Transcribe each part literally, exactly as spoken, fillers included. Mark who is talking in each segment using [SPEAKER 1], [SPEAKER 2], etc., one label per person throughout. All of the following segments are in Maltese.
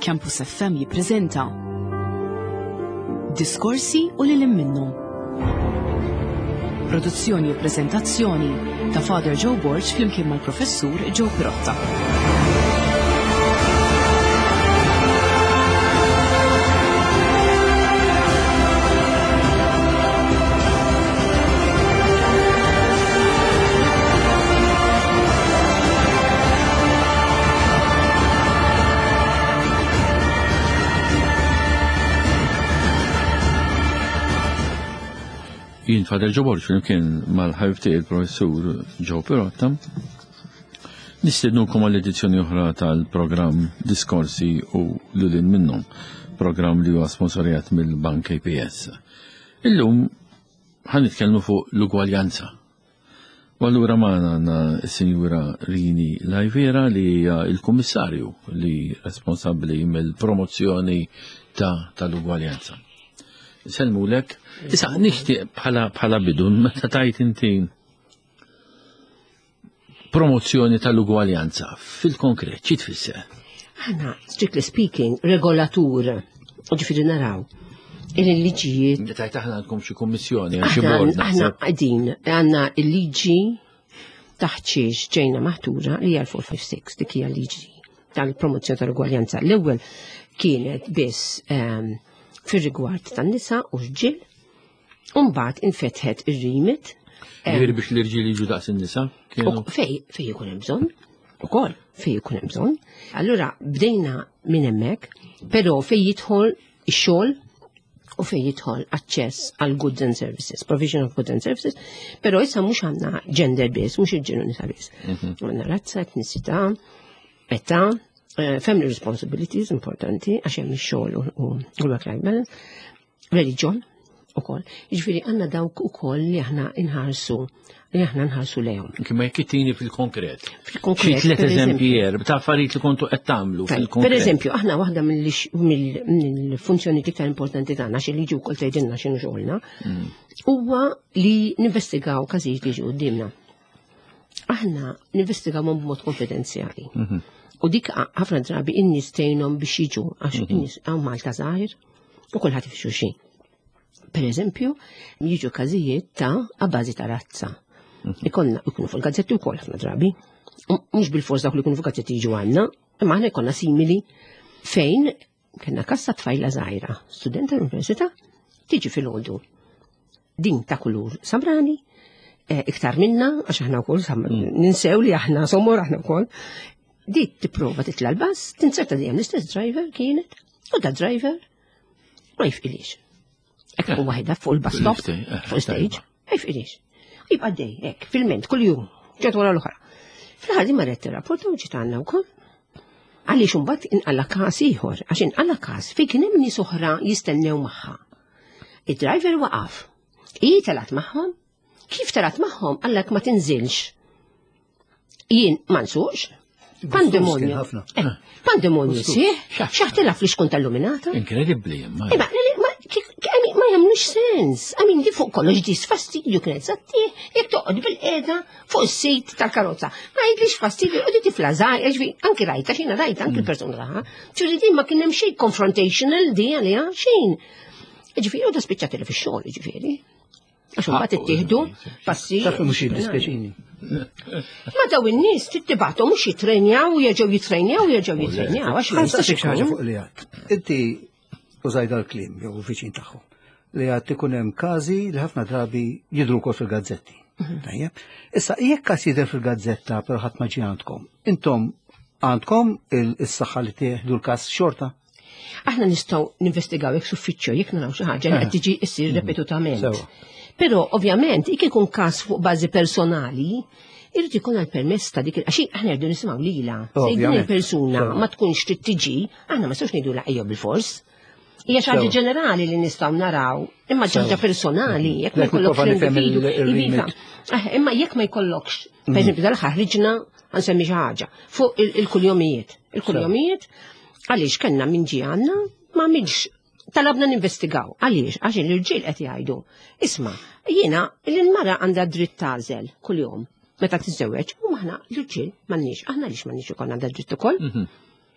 [SPEAKER 1] Campus F M jippreżenta Diskorsi u lil minnhom. Produzzjoni u preżentazzjoni ta' Father Joe Borg flimkien mal-Professur Joe Pirotta.
[SPEAKER 2] Jien Father Joe Borg flimkien mal-ħabib tiegħi il-Professur Joe Pirotta. Nistednukom għall-edizzjoni oħra tal-programm Diskorsi u lil hinn minnhom, programm li huwa sponsorjat mill-Bank A P S. Illum ħa nitkellmu fuq l-ugwaljanza. U allura magħna għandna s-Sinjura Rini Lajvera li hija il-Kummissarju li responsabbli mill-promozzjoni ta' tal-ugwaljanza. Sellmulek. Issa nixtieq bħala bħala bidu, meta tajt inti promozzjoni tal-ugwaljanza, fil-konkret, xi tfisser?
[SPEAKER 3] Aħna, strictly speaking, regolatur, ġifieri naraw il-liġijiet.
[SPEAKER 2] Inti tajt aħna għandkom xi kummissjoni, xi
[SPEAKER 3] Aħna
[SPEAKER 2] bord
[SPEAKER 3] aħna
[SPEAKER 2] naħseb.
[SPEAKER 3] qegħdin għandna il-liġi taħt xiex ġejna maħtura li hija l-four five six, dik hija liġi tal-promozzjoni tal-ugwaljanza. L-ewwel kienet biss ehm, fir-rigward tan-nisa u rġiel, u mbagħad infetħet ir-remit.
[SPEAKER 2] Ġifieri biex l-irġiel jiġu daqs in-nisa? Kienu
[SPEAKER 3] U Fej, fej ikun hemm bżonn, ukoll fej ikun hemm bżonn. Allura bdejna minn hemmhekk, però fej jidħol ix-xogħol u fej jidħol aċċess għal goods and services, provision of goods and services, però issa mhux għandna gender biss, mhux irġiel u nisa biss. Għandna razza, etnisità, età, eh, family responsibilities importanti għax hemm ix-xogħol u u l-work-life balance, religion ukoll. Jiġifieri għandna dawk ukoll li aħna inħarsu li aħna nħarsu lejhom.
[SPEAKER 2] Kima jekk ittini fil-konkret.
[SPEAKER 3] Fil-konkret,
[SPEAKER 2] Xi tliet
[SPEAKER 3] per
[SPEAKER 2] eżempji
[SPEAKER 3] eżempju.
[SPEAKER 2] erb ta' affarijiet li kontu qed tagħmlu
[SPEAKER 3] Tajb,
[SPEAKER 2] fil-konkret.
[SPEAKER 3] Per eżempju, aħna waħda mill- mill-funzjoni iktar importanti tagħna, xi liġi wkoll tgħidilna x'inhu xogħolna, huwa li ninvestigaw każijiet li ġew quddiemna. Aħna ninvestigaw b'mod konfidenzjali. U dik ħafna drabi in-nies tgħinhom biex jiġu, għax in-nies hawn Malta żgħir u kulħadd jaf xulxin. Per eżempju, jiġu każijiet ta' abbażi ta' razza. Ikollna ikunu fuq il-gazzetti wkoll ħafna drabi. U mhux bil-fors dawk li jkunu fuq gazzetti jiġu għandna, imma aħna jkollna simili fejn kellna każ ta' tfajla żgħira, studenta l-università, tiġi filgħodu. Din ta' kulur samrani, eh, iktar minna, għax aħna wkoll sam- ninsew li aħna somor aħna wkoll. Dik tipprova titla l-bus, tinzerta dejjem l-istess driver kienet, u da driver ma jifqilix. Hekk tkun waħedha fuq il-bus stop,
[SPEAKER 2] Eh,
[SPEAKER 3] fuq stage, ma jifqilix. Jibqa' dej, hekk, fil-ment, kull-jum, ġat wara l-oħra. Fl-aħħar di marret tirrapporta u ġiet għandna wkoll. Għaliex imbagħad inqala każ ieħor, għax inqala każ fejn kien hemm nies oħra jistennew magħha. Id-driver waqaf. Hi telgħet magħhom. Kif telgħet magħhom qallek ma tinżilx. Jien ma nsuqx. Pandemonju.
[SPEAKER 4] Kien ħafna.
[SPEAKER 3] Eh, Pandemonju sieħ, xaħtilha fl-iskun tal-luminata.
[SPEAKER 2] Inkredibbli, imma.
[SPEAKER 3] Imma, ma, ki- ki- I mean, ma jagħmlux sens. I mean, di fuq kollox di fastidju kienet sattih, jekk toqgħod bil-qiegħda fuq is-seat tal-karozza. Ma jgħidlix fastidju, u di tifla żgħir, ġifieri, anki rajta, xina rajta, anki l-persuna raha. Ġifieri din ma kien hemm xejn confrontational di għaliha, xejn. Ġifieri, u da spiċċat li fix-xogħol, ġifieri. Għax imbagħad ittieħdu passi.
[SPEAKER 4] Taf mhux jiddispjaċini.
[SPEAKER 3] Ma daw in-nies tittibgħathom mhux jitrenjaw, jerġgħu jitrenjaw, jerġgħu jitrenjaw, għax ma jistax
[SPEAKER 4] Ħa nsaqsik xi ħaġa
[SPEAKER 3] ikun.
[SPEAKER 4] fuq li għedt. Inti użajt dal-kliem, jew viċin tagħhom, li għedt ikun hemm każi li ħafna drabi jidru wkoll fil-gazzetti. Tajjeb. Issa, jekk każ jidher fil-gazzetta però ħadd ma ġie għandkom, intom għandkom il-saħħa li tieħdu l-każ xorta?
[SPEAKER 3] Aħna nistgħu ninvestigaw jekk suffiċċju jekk naraw xi ħaġa li qed tiġi issir ripetutament.
[SPEAKER 4] Sewa.
[SPEAKER 3] Però ovvjament jekk ikun każ fuq bażi personali, irid ikun għal permess ta' dik il- għax aħna rridu nisimgħu lilha. Se din
[SPEAKER 4] Ovvjament.
[SPEAKER 3] il-persuna
[SPEAKER 4] Sewa.
[SPEAKER 3] ma tkunx trid tiġi, aħna ma nistgħux ngħidu ejja bil-fors. Hija xi ħaġa
[SPEAKER 4] Sewa.
[SPEAKER 3] ġenerali li nistgħu naraw, imma xi ħaġa personali, jekk ma
[SPEAKER 4] Lek
[SPEAKER 3] jkollokx
[SPEAKER 4] nipprova nifhem
[SPEAKER 3] l-individu,
[SPEAKER 4] il- il-remit.
[SPEAKER 3] iva. Eh, imma jekk ma jkollokx, per eżempju, dal-aħħar ħriġna ħa nsemmi xi ħaġa fuq il- il-kuljomijiet. Il-kuljomijiet għaliex kellna min ġie għandna ma minx talabna ninvestigaw. Għaliex? Għax l-irġiel qed jgħidu. Isma', jiena l-mara għandha dritt tagħżel kuljum meta tiżżewweġ u aħna l-irġiel m'għandniex. Aħna għaliex m'għandniex ukoll għandha dritt ukoll.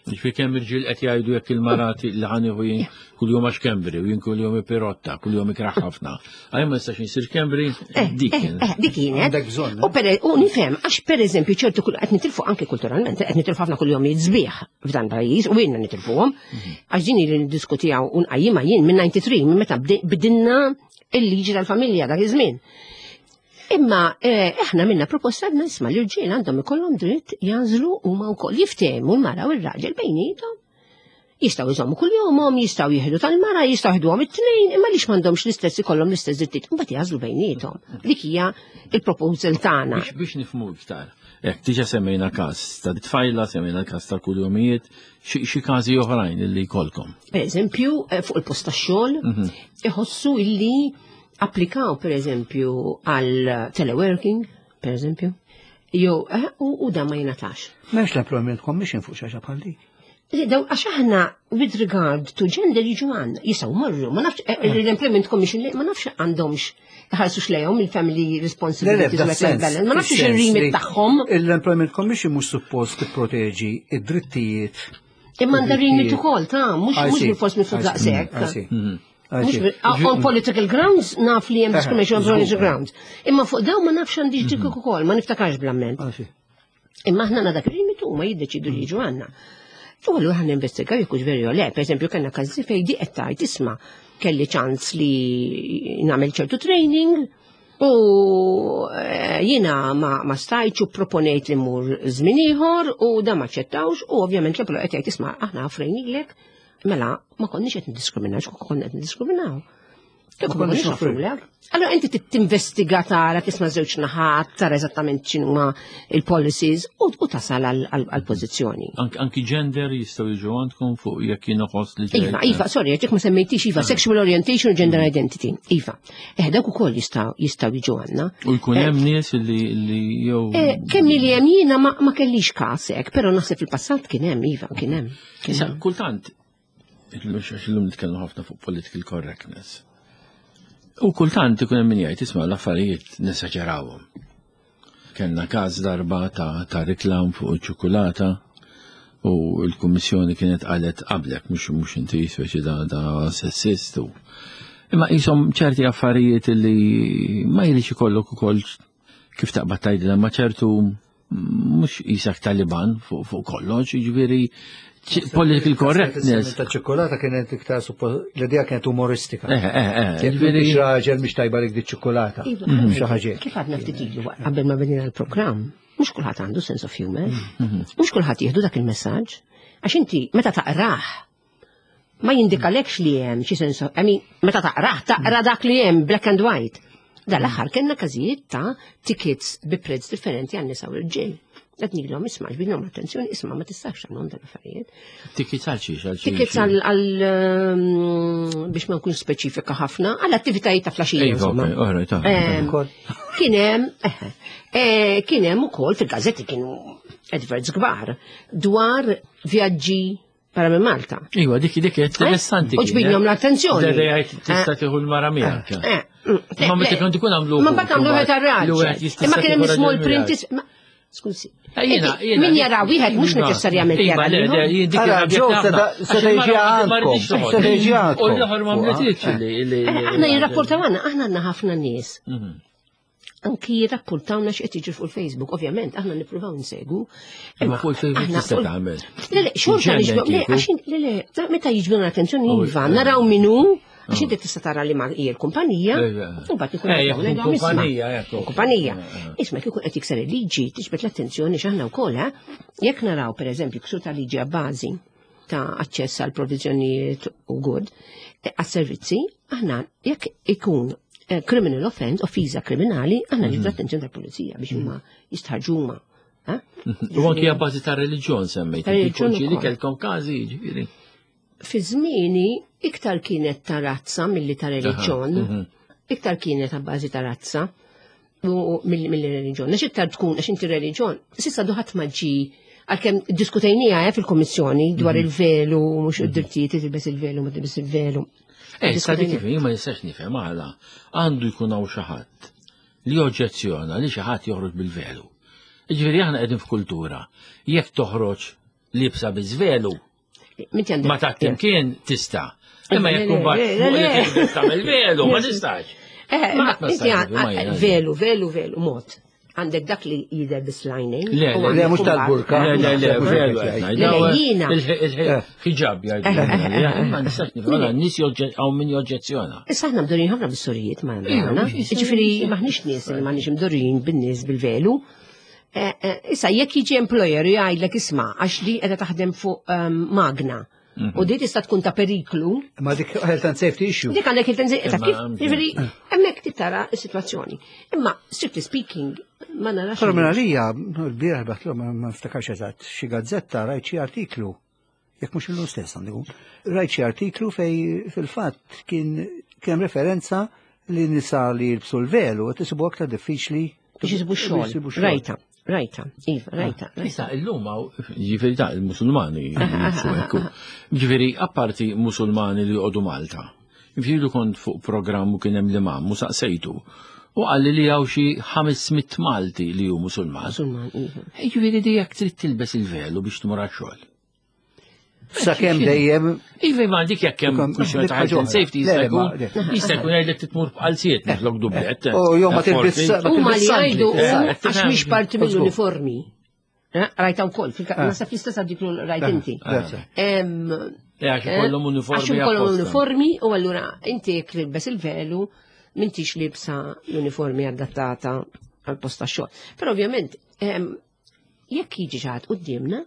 [SPEAKER 2] Ġifieri kemm irġiel qed jgħidu jekk il-marati li ħanieħu jien kuljum għax Kembri u jien kuljum pirotta, kuljum ikraħ ħafna. Għaj ma nistax insir Kembri,
[SPEAKER 3] Eh,
[SPEAKER 2] dik
[SPEAKER 3] eh,
[SPEAKER 2] kienet.
[SPEAKER 3] eh, dik kienet.
[SPEAKER 4] Għandek bżonn, eh?
[SPEAKER 3] U per u nifhem għax pereżempju ċertu kull qed nitilfu anke kulturalment, qed nitilfu ħafna kuljum sbieħ f'dan pajjiż u jiena nitilfuhom. Għax din li niddiskutijaw u nqajjimha jien minn disgħa u disgħin, minn meta bde- bdinna il-liġi tal-familja dak iż-żmien. Imma eh, aħna minna proposta għadna isma' l-irġiel għandhom ikollhom dritt jagħżlu huma wkoll jiftehmu l-mara u r-raġel bejniethom. Jistgħu jżommu kuljumhom, jistgħu jieħdu tal-mara, jistgħu jieħduhom it-tnejn, imma lix m'għandhomx l-istess ikollhom l-istess drittijiet, imbagħad jagħżlu bejniethom. Dik hija il-proposal tagħna.
[SPEAKER 2] Biex biex nifhmu iktar. Ek, diġa semmejna każ ta' tfajla, semmejna każ ta' kuljumijiet, xi xi każi oħrajn li jkollkom.
[SPEAKER 3] Per eżempju, eh, fuq il-post tax-xogħol, iħossu illi applikaw per eżempju għal teleworking, per eżempju, jew eh, u, u dan ma jingħatax.
[SPEAKER 4] M'hemmx l-Employment Commission fuq xi ħaġa bħal dik.
[SPEAKER 3] Daw, għax aħna with regard to gender jiġu għandna, jistgħu marru, ma nafx, eh, l-Employment Commission li- ma nafx għandhomx ħarsu xlejhom il-family responsibilities u work-life balance, ma nafx il-remit tagħhom,
[SPEAKER 4] L-Employment Commission mhux suppost tipproteġi id-drittijiet.
[SPEAKER 3] Imma għandha remit ukoll, ta' mhux
[SPEAKER 4] I
[SPEAKER 3] mhux
[SPEAKER 4] see.
[SPEAKER 3] bil-fors minn fuq
[SPEAKER 4] I see.
[SPEAKER 3] daqshekk.
[SPEAKER 4] I see. I
[SPEAKER 3] Mhux
[SPEAKER 4] see.
[SPEAKER 3] bil- On political grounds naf li hemm discrimination on
[SPEAKER 4] żgur.
[SPEAKER 3] political grounds. Imma fuq dawn ma nafx għandix dik ukoll, ma niftakarx bl-amment.
[SPEAKER 4] I see.
[SPEAKER 3] Imma aħna għandna dak il-remit huma jiddeċidu li jiġu għandna. U għallu ħan investigaw jekk hux veru jew le. Per eżempju, kellna każi fejn di qed tgħid isma' kelli ċans li nagħmel ċertu training u eh, jiena ma, ma stajtx u proponejt li mur żmien ieħor u da ma ċettawx u ovvjament l-employer qed jgħid isma' aħna offrejnilek, mela ma konniex qed niddiskriminaw, x'kieku konna qed niddiskriminaw. Kieku ma
[SPEAKER 4] konniex
[SPEAKER 3] konniex offrulek. Allora inti tinvestiga, tara, tisma' żewġ naħat, tara eżattament x'inhuma il-policies u, u tasal għal-pożizzjoni.
[SPEAKER 2] Anki anki gender jistgħu jiġu għandkom fuq jekk jien uħoss li ġej.
[SPEAKER 3] Iva, Iva, sorry, jekk ma semmejtix Iva, sexual orientation u gender identity. Iva. Eh, dawk ukoll jistgħu jistgħu jiġu għandna.
[SPEAKER 2] U jkun hemm nies li li jew
[SPEAKER 3] Eh, kemm li hemm jiena ma, ma kellix każ hekk, però naħseb fil-passat kien hemm, iva, kien hemm. Kien
[SPEAKER 2] Issa,
[SPEAKER 3] hemm.
[SPEAKER 2] kultant, għax illum nitkellmu ħafna fuq political correctness. U kultant ikun hemm min jgħid isma' l-affarijiet nesaġerawhom. Kellna każ darba ta' ta' reklam fuq iċ-ċokolata u l-Kummissjoni kienet qalet qablek mhux mhux inti speċi da da sessist u imma qishom ċerti affarijiet li ma jridx ikollok ukoll kif taqbad tgħidilha ma ċertu mhux isak Taliban fuq fuq kollox, jiġifieri ċ- political correctness.
[SPEAKER 4] Ta' ċokolata kienet iktar suppo l-idea kienet umoristika.
[SPEAKER 2] Eh, eh, eh,
[SPEAKER 4] Jekk
[SPEAKER 2] jiġifieri
[SPEAKER 4] m'intix raġel mhix tajba lik di ċokolata.
[SPEAKER 3] Iva,
[SPEAKER 4] Xi ħaġa.
[SPEAKER 3] Kif għadna ftit ilu qabel ma bdejna l-programm, mhux kulħadd għandu sense of humor, mhux kulħadd jieħdu dak il-messaġġ, għax inti meta taqrah ma jindikalekx li hemm xi sense of, I mean, meta taqrah taqra dak li hemm black and white. Dal-aħħar kellna każijiet ta' tickets bi prezz differenti għan nisa u l-ġil. Qed ngħidilhom isma' ġbidilhom attenzjoni, isma' ma tistax tagħmlhom dan l-affarijiet.
[SPEAKER 2] Tickets għal xiex, għal xiex.
[SPEAKER 3] Tickets għal għal, um, biex ma nkunx speċifika ħafna, għal attivitajiet ta' filgħaxija.
[SPEAKER 2] Iva,
[SPEAKER 3] insomma.
[SPEAKER 2] ok, all right, all right.
[SPEAKER 3] Em,
[SPEAKER 4] Ukoll.
[SPEAKER 3] Kien hemm eh, eh, kien hemm ukoll fil-gazzetti kienu adverts kbar dwar vjaġġi barra minn Malta.
[SPEAKER 2] Iva, dik dik interessanti.
[SPEAKER 3] U ġbidnhom l-attenzjoni.
[SPEAKER 2] Dejjajt tista' tieħu l-mara miegħek.
[SPEAKER 3] Eh, mm,
[SPEAKER 2] Ma meta kont ikun għamlu.
[SPEAKER 3] Ma mbagħad għamlu wieħed għar-raġel. Imma kien hemm small print is- ma- Skużi.
[SPEAKER 2] Eh, jiena-
[SPEAKER 3] Inti,
[SPEAKER 2] jiena-
[SPEAKER 3] Min jara wieħed mhux neċessarjament
[SPEAKER 2] Iva,
[SPEAKER 3] jara
[SPEAKER 2] le, le,
[SPEAKER 3] l-ieħor.
[SPEAKER 2] jien dik
[SPEAKER 4] Ara,
[SPEAKER 2] irrabjat
[SPEAKER 4] Joe,
[SPEAKER 2] ħafna.
[SPEAKER 4] seta-
[SPEAKER 2] Għax
[SPEAKER 4] seta
[SPEAKER 2] il-mara
[SPEAKER 4] jiġi
[SPEAKER 2] ma
[SPEAKER 4] għandkom.
[SPEAKER 2] rridx toħod.
[SPEAKER 4] Seta jiġi għandkom.
[SPEAKER 2] U l-oħor ma mletitx li. li-
[SPEAKER 3] Eh, Aħna jirrapportaw għandna, aħna għandna ħafna nies.
[SPEAKER 2] Mhm.
[SPEAKER 3] Anki jirrapportawna x'qed jiġri fuq il-Facebook, ovvjament, aħna nippruvaw nsegu.
[SPEAKER 2] Imma fuq il-Facebook
[SPEAKER 3] aħna
[SPEAKER 2] tista'
[SPEAKER 3] fuq-
[SPEAKER 2] tagħmel.
[SPEAKER 3] Le, le, xorta
[SPEAKER 2] Ġenna
[SPEAKER 3] niġbdu, le,
[SPEAKER 2] kieku.
[SPEAKER 3] għax in- le, le, ta- meta jiġbdu l-attenzjoni,
[SPEAKER 2] Oh,
[SPEAKER 3] iva,
[SPEAKER 2] eh.
[SPEAKER 3] naraw minu, għax inti tista' tara li ma hija l-kumpanija,
[SPEAKER 2] Eh,
[SPEAKER 3] u mbagħad ikun
[SPEAKER 2] eh,
[SPEAKER 3] qed
[SPEAKER 2] jekk
[SPEAKER 3] ngħidu,
[SPEAKER 2] tkun
[SPEAKER 3] isma'
[SPEAKER 2] kumpanija, ekku.
[SPEAKER 3] Kumpanija. Isma' kieku qed jikser il-liġi, tiġbed l-attenzjoni x'aħna wkoll, eh? Jekk naraw pereżempju ksur ta' liġi a bażi ta' aċċess għal provviżjonijiet u good, eh, għas-servizzi, aħna jekk ikun eh, criminal offense, offiża kriminali, aħna niġbdu l-attenzjoni tal-pulizija biex huma jistħarġu huma. eh?
[SPEAKER 2] U anki a bażi ta' reliġjon semmejt.
[SPEAKER 3] Ta' reliġjon
[SPEAKER 2] Ġieli
[SPEAKER 3] ukoll.
[SPEAKER 2] kellkom każi, ġifieri.
[SPEAKER 3] Fi żmieni iktar kienet ta' razza milli ta' reliġjon,
[SPEAKER 2] mhm.
[SPEAKER 3] iktar kienet ta' bażi ta' razza u milli milli reliġjon. Għax iktar tkun għax inti reliġjon, s'issa ħadd ma ġi għalkemm diskutejnija eh, fil-kommissjoni dwar il-velu, mhux id-drittijiet tilbes il-velu, ma tilbes il-velu.
[SPEAKER 2] Eh, sa dik kif jien ma nistax nifhem għala għandu jkun hawn xi ħadd li oġġezzjona li xi ħadd joħroġ bil-velu. Jiġifieri aħna qegħdin f'kultura. Jekk toħroġ libsa biż-velu
[SPEAKER 3] Minti għandek.
[SPEAKER 2] ma ta' timkien tista'. Imma
[SPEAKER 3] Le,
[SPEAKER 2] jekk
[SPEAKER 3] le,
[SPEAKER 2] imbagħad
[SPEAKER 3] le, le,
[SPEAKER 2] fuq li
[SPEAKER 3] le.
[SPEAKER 2] tilbes tagħmel velu, ma tistax.
[SPEAKER 3] Eh,
[SPEAKER 2] Ma
[SPEAKER 3] ma
[SPEAKER 2] qatt ma
[SPEAKER 3] inti
[SPEAKER 2] stajt,
[SPEAKER 3] għan-
[SPEAKER 2] ma jien-
[SPEAKER 3] velu, velu, velu, mod. Għandek dak li jidher bis-lining.
[SPEAKER 2] Le,
[SPEAKER 3] u
[SPEAKER 2] le,
[SPEAKER 3] għandek
[SPEAKER 4] le, mhux
[SPEAKER 3] imbagħad-
[SPEAKER 4] tal-burka.
[SPEAKER 2] Le, le, le,
[SPEAKER 4] Mhux
[SPEAKER 2] velu.
[SPEAKER 4] hekk
[SPEAKER 2] qed
[SPEAKER 4] jgħid.
[SPEAKER 2] ngħid.
[SPEAKER 3] Le, le, jiena.
[SPEAKER 2] Il-ħiġab jgħidu. Ma nistax nifhem, għala, n-nies joġġe- hawn min joġġezzjona.
[SPEAKER 3] Issa aħna mdorrin ħafna bis-sorijiet ma
[SPEAKER 2] Ija,
[SPEAKER 3] għandna.
[SPEAKER 2] mhux issa-
[SPEAKER 3] Ġifieri maħniex nies li maħniex mdorrin bin-nies bil-velu. Eh, eh, Issa jekk jiġi employer u jgħidlek isma' għax li qiegħda taħdem fuq ehm, magna. U di tista' tkun ta' periklu.
[SPEAKER 4] Ma dik health and safety issue.
[SPEAKER 3] Dik għandek il-tenzi, ta'
[SPEAKER 2] Imma
[SPEAKER 3] kif,
[SPEAKER 2] għamġi.
[SPEAKER 3] ġifieri, hemmhekk tittara s-sitwazzjoni. Imma, strictly speaking, ma narax.
[SPEAKER 4] Però minn għalija, l-bieraħ batlu, ma ma niftakarx eżatt, xi gazzetta rajt xi artiklu, jekk mhux illum stess għandu jkun, rajt xi artiklu fej fil-fatt kien kien hemm referenza li nisa li jilbsu l-velu qed isibu aktar diffiċli
[SPEAKER 3] Biex jisibu
[SPEAKER 4] biex jisibu
[SPEAKER 3] xogħol. Rajta, rajta, iva, rajta. rajta.
[SPEAKER 2] Issa, illum hawn, ġifieri ta' il-Musulmani jilbsu hekk. Ġifieri, apparti Musulmani li joqogħdu Malta. Ġifieri kont fuq programm u kien hemm l-imam u saqsejtu. U qalli li hawn xi ħames mitt Malti li hu Musulman.
[SPEAKER 3] Musulman, iva.
[SPEAKER 2] Ġifieri di jekk trid tilbes il-velu biex tmur għax-xogħol.
[SPEAKER 4] Sakemm dejjem
[SPEAKER 2] Iva, ma dik jekk hemm
[SPEAKER 4] Ikom-
[SPEAKER 2] kwistjoni ta' health and safety
[SPEAKER 4] Le,
[SPEAKER 2] jista'
[SPEAKER 4] le, ma-
[SPEAKER 2] jkun
[SPEAKER 4] le.
[SPEAKER 2] jista' jkun jgħidlek titmur b'qalziet minflok dublett.
[SPEAKER 4] U jew ma tilbis ma
[SPEAKER 3] Huma li
[SPEAKER 4] tilbis sandli.
[SPEAKER 3] jgħidu
[SPEAKER 2] Eh,
[SPEAKER 3] hu għax
[SPEAKER 2] tifhem.
[SPEAKER 3] mhix parti mill-uniformi. Eh, Rajta wkoll, fil- naħseb l-istess artiklu rajt inti.
[SPEAKER 4] Grazie.
[SPEAKER 3] Em,
[SPEAKER 2] Eh, għax ikollhom uniformi
[SPEAKER 3] Għax ikollhom
[SPEAKER 2] apposta.
[SPEAKER 3] uniformi u allura inti jekk tilbes il-velu m'intix libsa l-uniformi adattata għal post tax-xogħol. Però ovvjament em, jekk jiġi xi ħadd quddiemna,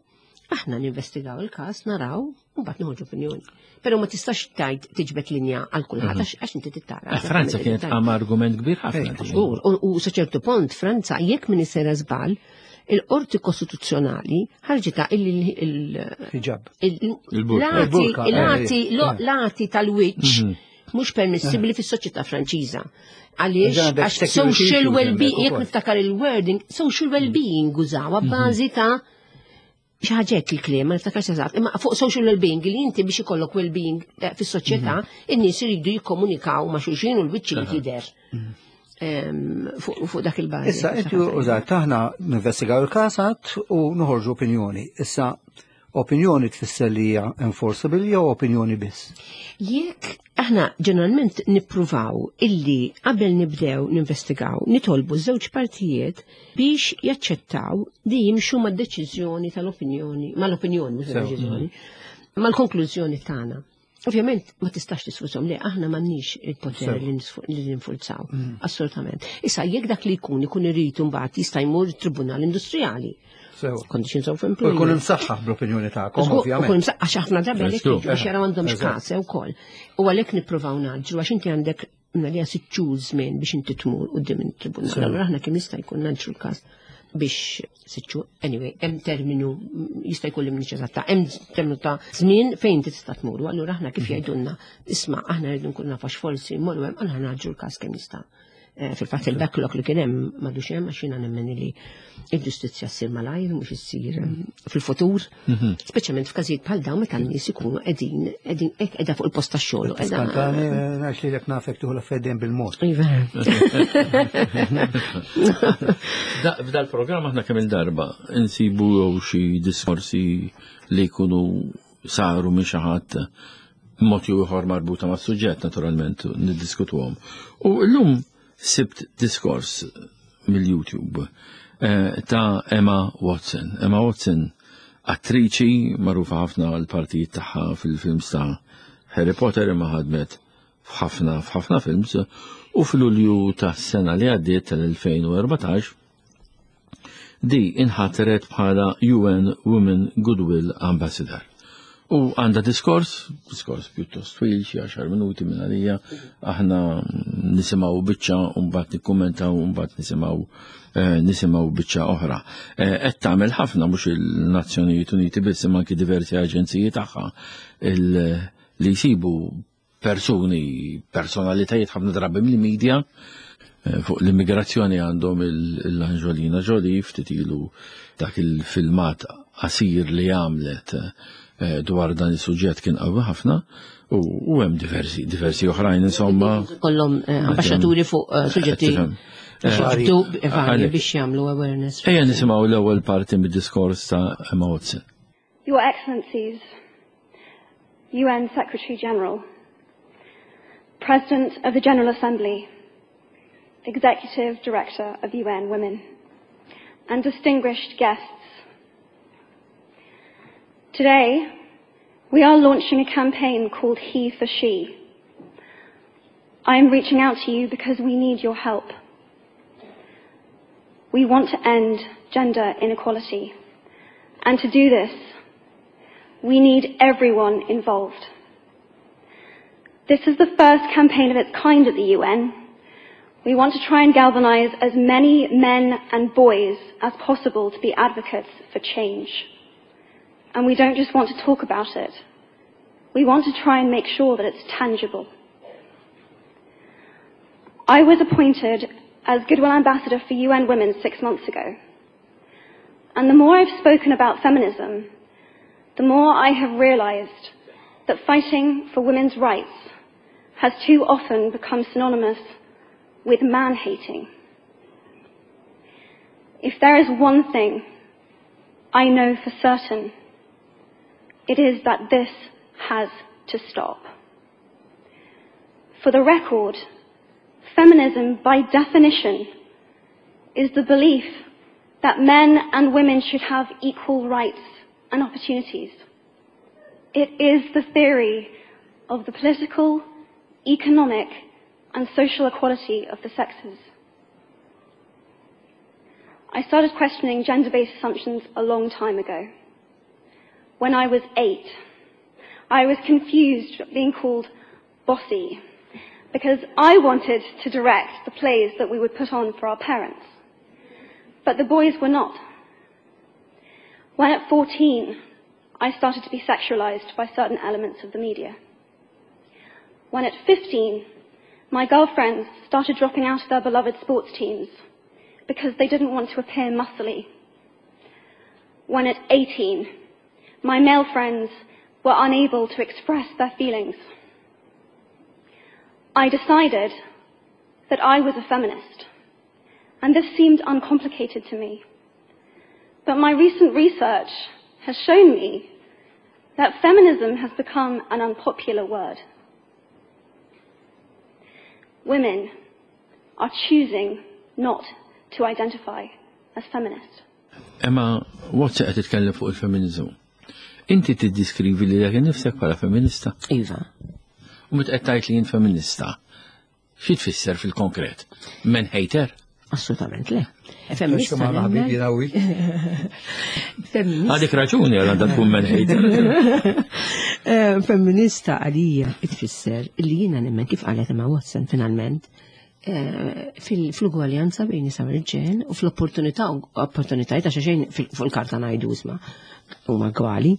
[SPEAKER 3] aħna ninvestigaw il-każ, naraw, u mbagħad noħorġu opinjoni. Però ma tistax tajt tiġbed linja għal kulħadd għax għax inti tittara.
[SPEAKER 2] Eh, Franza kienet għam argument kbir ħafna.
[SPEAKER 4] Eh,
[SPEAKER 3] Żgur, u u sa ċertu punt Franza jekk min sera żball, il-qorti kostituzzjonali ħarġita illi il-
[SPEAKER 4] Hijab.
[SPEAKER 3] il-
[SPEAKER 2] Il-burka.
[SPEAKER 3] l-għati
[SPEAKER 4] Il-burka, eh,
[SPEAKER 3] l-għati
[SPEAKER 4] eh.
[SPEAKER 3] lo- l-għati tal-wiċċ mhux permissibbli fis-soċjetà Franċiża. Għaliex
[SPEAKER 4] Ġa għandek
[SPEAKER 3] għax
[SPEAKER 4] security
[SPEAKER 3] social
[SPEAKER 4] issues
[SPEAKER 3] well-being,
[SPEAKER 4] hemmhekk
[SPEAKER 3] jekk
[SPEAKER 4] ukoll.
[SPEAKER 3] niftakar il-wording, social well-being użaw bażi ta' xi ħaġa il-kliem, ma niftakarx eżatt, imma fuq social well-being li inti biex ikollok well-being eh, fis-soċjetà, in-nies iridu jikkomunikaw ma' xulxin u l-wiċċ li jidher. Em, Fuq fuq dak il-bażi.
[SPEAKER 4] Issa, inti użat, aħna ninvestigaw il-każ u noħorġu opinjoni. Issa, opinjoni tfisser li hija enforceable jew opinjoni biss?
[SPEAKER 3] Jekk aħna ġeneralment nippruvaw illi qabel nibdew ninvestigaw, nitolbu żewġ partijiet biex jaċċettaw li jimxu mad-deċiżjoni tal-opinjoni, mal-opinjoni, mhux deċiżjoni, mal-konklużjoni tagħna. Ovvjament ma tistax tisfurzhom li aħna m'għandniex il-poter li nisfu- li ninfurzaw, assolutament. Issa jekk dak li jkun ikun irid imbagħad jista' jmur tribunal industrijali.
[SPEAKER 4] Sew.
[SPEAKER 3] Conditions of
[SPEAKER 4] U jkun
[SPEAKER 3] employment.
[SPEAKER 4] imsaħħaħ bl-opinjoni tagħkom,
[SPEAKER 3] Żgur,
[SPEAKER 4] ovvjament.
[SPEAKER 3] U kun għax ħafna drabi għalhekk
[SPEAKER 2] Żgur.
[SPEAKER 3] jiġu biex jaraw għandhom
[SPEAKER 4] Eżatt.
[SPEAKER 3] x'każ ukoll. U għalhekk nippruvaw ngħaġġlu għax inti għandek għalija sitt xhur żmien biex inti tmur quddiem it-tribunal. Allura aħna kemm jista' jkun ngħaġġlu l-każ biex sitt xhur, anyway, hemm terminu jista' jkun li m'iniex eżatta, hemm terminu ta' żmien fejn inti tista' tmur. U allura aħna kif jgħidulna, isma' aħna rridu nkunu nafu għax forsi mmorru hemm, aħna ngħaġġlu l-każ kemm jista'. Eh, Fil-fatt il-backlog li kien hemm m'għadux hemm għax jiena nemmen li il-ġustizzja ssir malajr mhux issir eh, fil-futur. Speċjalment f'każijiet bħal dawn meta n-nies ikunu qegħdin qegħdin hekk qiegħda fuq il-post tax-xogħol. u qiegħda-
[SPEAKER 4] Skantani, għax li l nafek tuħu l-affedden bil-mod.
[SPEAKER 3] Iva.
[SPEAKER 2] Da- F'dal-programm aħna kemm il-darba insibu jew xi diskorsi li jkunu saru minn xi ħadd b'mod jew ieħor marbuta mas-suġġett naturalment niddiskutuhom. U llum sibt diskors mill-YouTube eh, ta' Emma Watson. Emma Watson attriċi magħrufa ħafna għal partijiet tagħha fil-films ta' Harry Potter imma ħadmet f'ħafna f'ħafna films u fil-Lulju ta' sena li għaddiet tal-elfejn u erbatax di inħatret bħala U N Women Goodwill Ambassador. U għandha diskors, diskors pjuttost twil, xi għaxar minuti minn għalija, aħna nisimgħu biċċa u mbagħad nikkummentaw u mbagħad nisimgħu eh, nisimgħu biċċa oħra. Eh, Qed tagħmel ħafna mhux il-Nazzjonijiet Uniti biss imma anki diversi aġenziji tagħha il- li jsibu persuni, personalitajiet ħafna drabi mill-medja. Eh, fuq l-immigrazzjoni għandhom l-Angelina Jolie ftit ilu dak il-filmat qasir li għamlet eh, dwar dan il-suġġett kien qawwi ħafna u u hemm diversi diversi oħrajn insomma.
[SPEAKER 3] Kollhom eh, ambaxxaturi fuq eh, suġġetti
[SPEAKER 2] Tifhem.
[SPEAKER 3] suġġettu varji
[SPEAKER 2] Għalek.
[SPEAKER 3] biex jagħmlu awareness.
[SPEAKER 2] Ejja nisimgħu l-ewwel parti mid-diskors ta' Emma Watson.
[SPEAKER 5] Your Excellencies, U N Secretary General, President of the General Assembly, Executive Director of U N Women, and distinguished guests. Today, we are launching a campaign called He for She. I am reaching out to you because we need your help. We want to end gender inequality. And to do this, we need everyone involved. This is the first campaign of its kind at the U N. We want to try and galvanize as many men and boys as possible to be advocates for change. And we don't just want to talk about it. We want to try and make sure that it's tangible. I was appointed as Goodwill Ambassador for U N Women six months ago. And the more I've spoken about feminism, the more I have realized that fighting for women's rights has too often become synonymous with man-hating. If there is one thing I know for certain, it is that this has to stop. For the record, feminism, by definition, is the belief that men and women should have equal rights and opportunities. It is the theory of the political, economic, and social equality of the sexes. I started questioning gender-based assumptions a long time ago. When I was eight, I was confused at being called bossy because I wanted to direct the plays that we would put on for our parents. But the boys were not. When at fourteen, I started to be sexualized by certain elements of the media. When at fifteen, my girlfriends started dropping out of their beloved sports teams because they didn't want to appear muscly. When at eighteen, my male friends were unable to express their feelings. I decided that I was a feminist, and this seemed uncomplicated to me. But my recent research has shown me that feminism has become an unpopular word. Women are choosing not to identify as feminist.
[SPEAKER 2] Emma Watson qed titkellem fuq il-feminizmu. Inti tiddiskrivi lilek nifsek bħala feminista?
[SPEAKER 3] Iva.
[SPEAKER 2] U meta qed tgħid li jien feminista, xi tfisser fil-konkret? Men hater?
[SPEAKER 3] Assolutament le. Feminista.
[SPEAKER 4] Ma ħabibi nawi.
[SPEAKER 3] Feminista.
[SPEAKER 2] Għandek raġuni għal għandha tkun men hater.
[SPEAKER 3] Eh, Femminista għalija tfisser li jiena nemmen, kif qalet Emma Watson finalment, eh, fil- fil-ugwaljanza bejn nisa u rġiel u fl-opportunità, opportunitajiet, għax xejn fil- fuq il-karta ngħidu isma' huma gwali.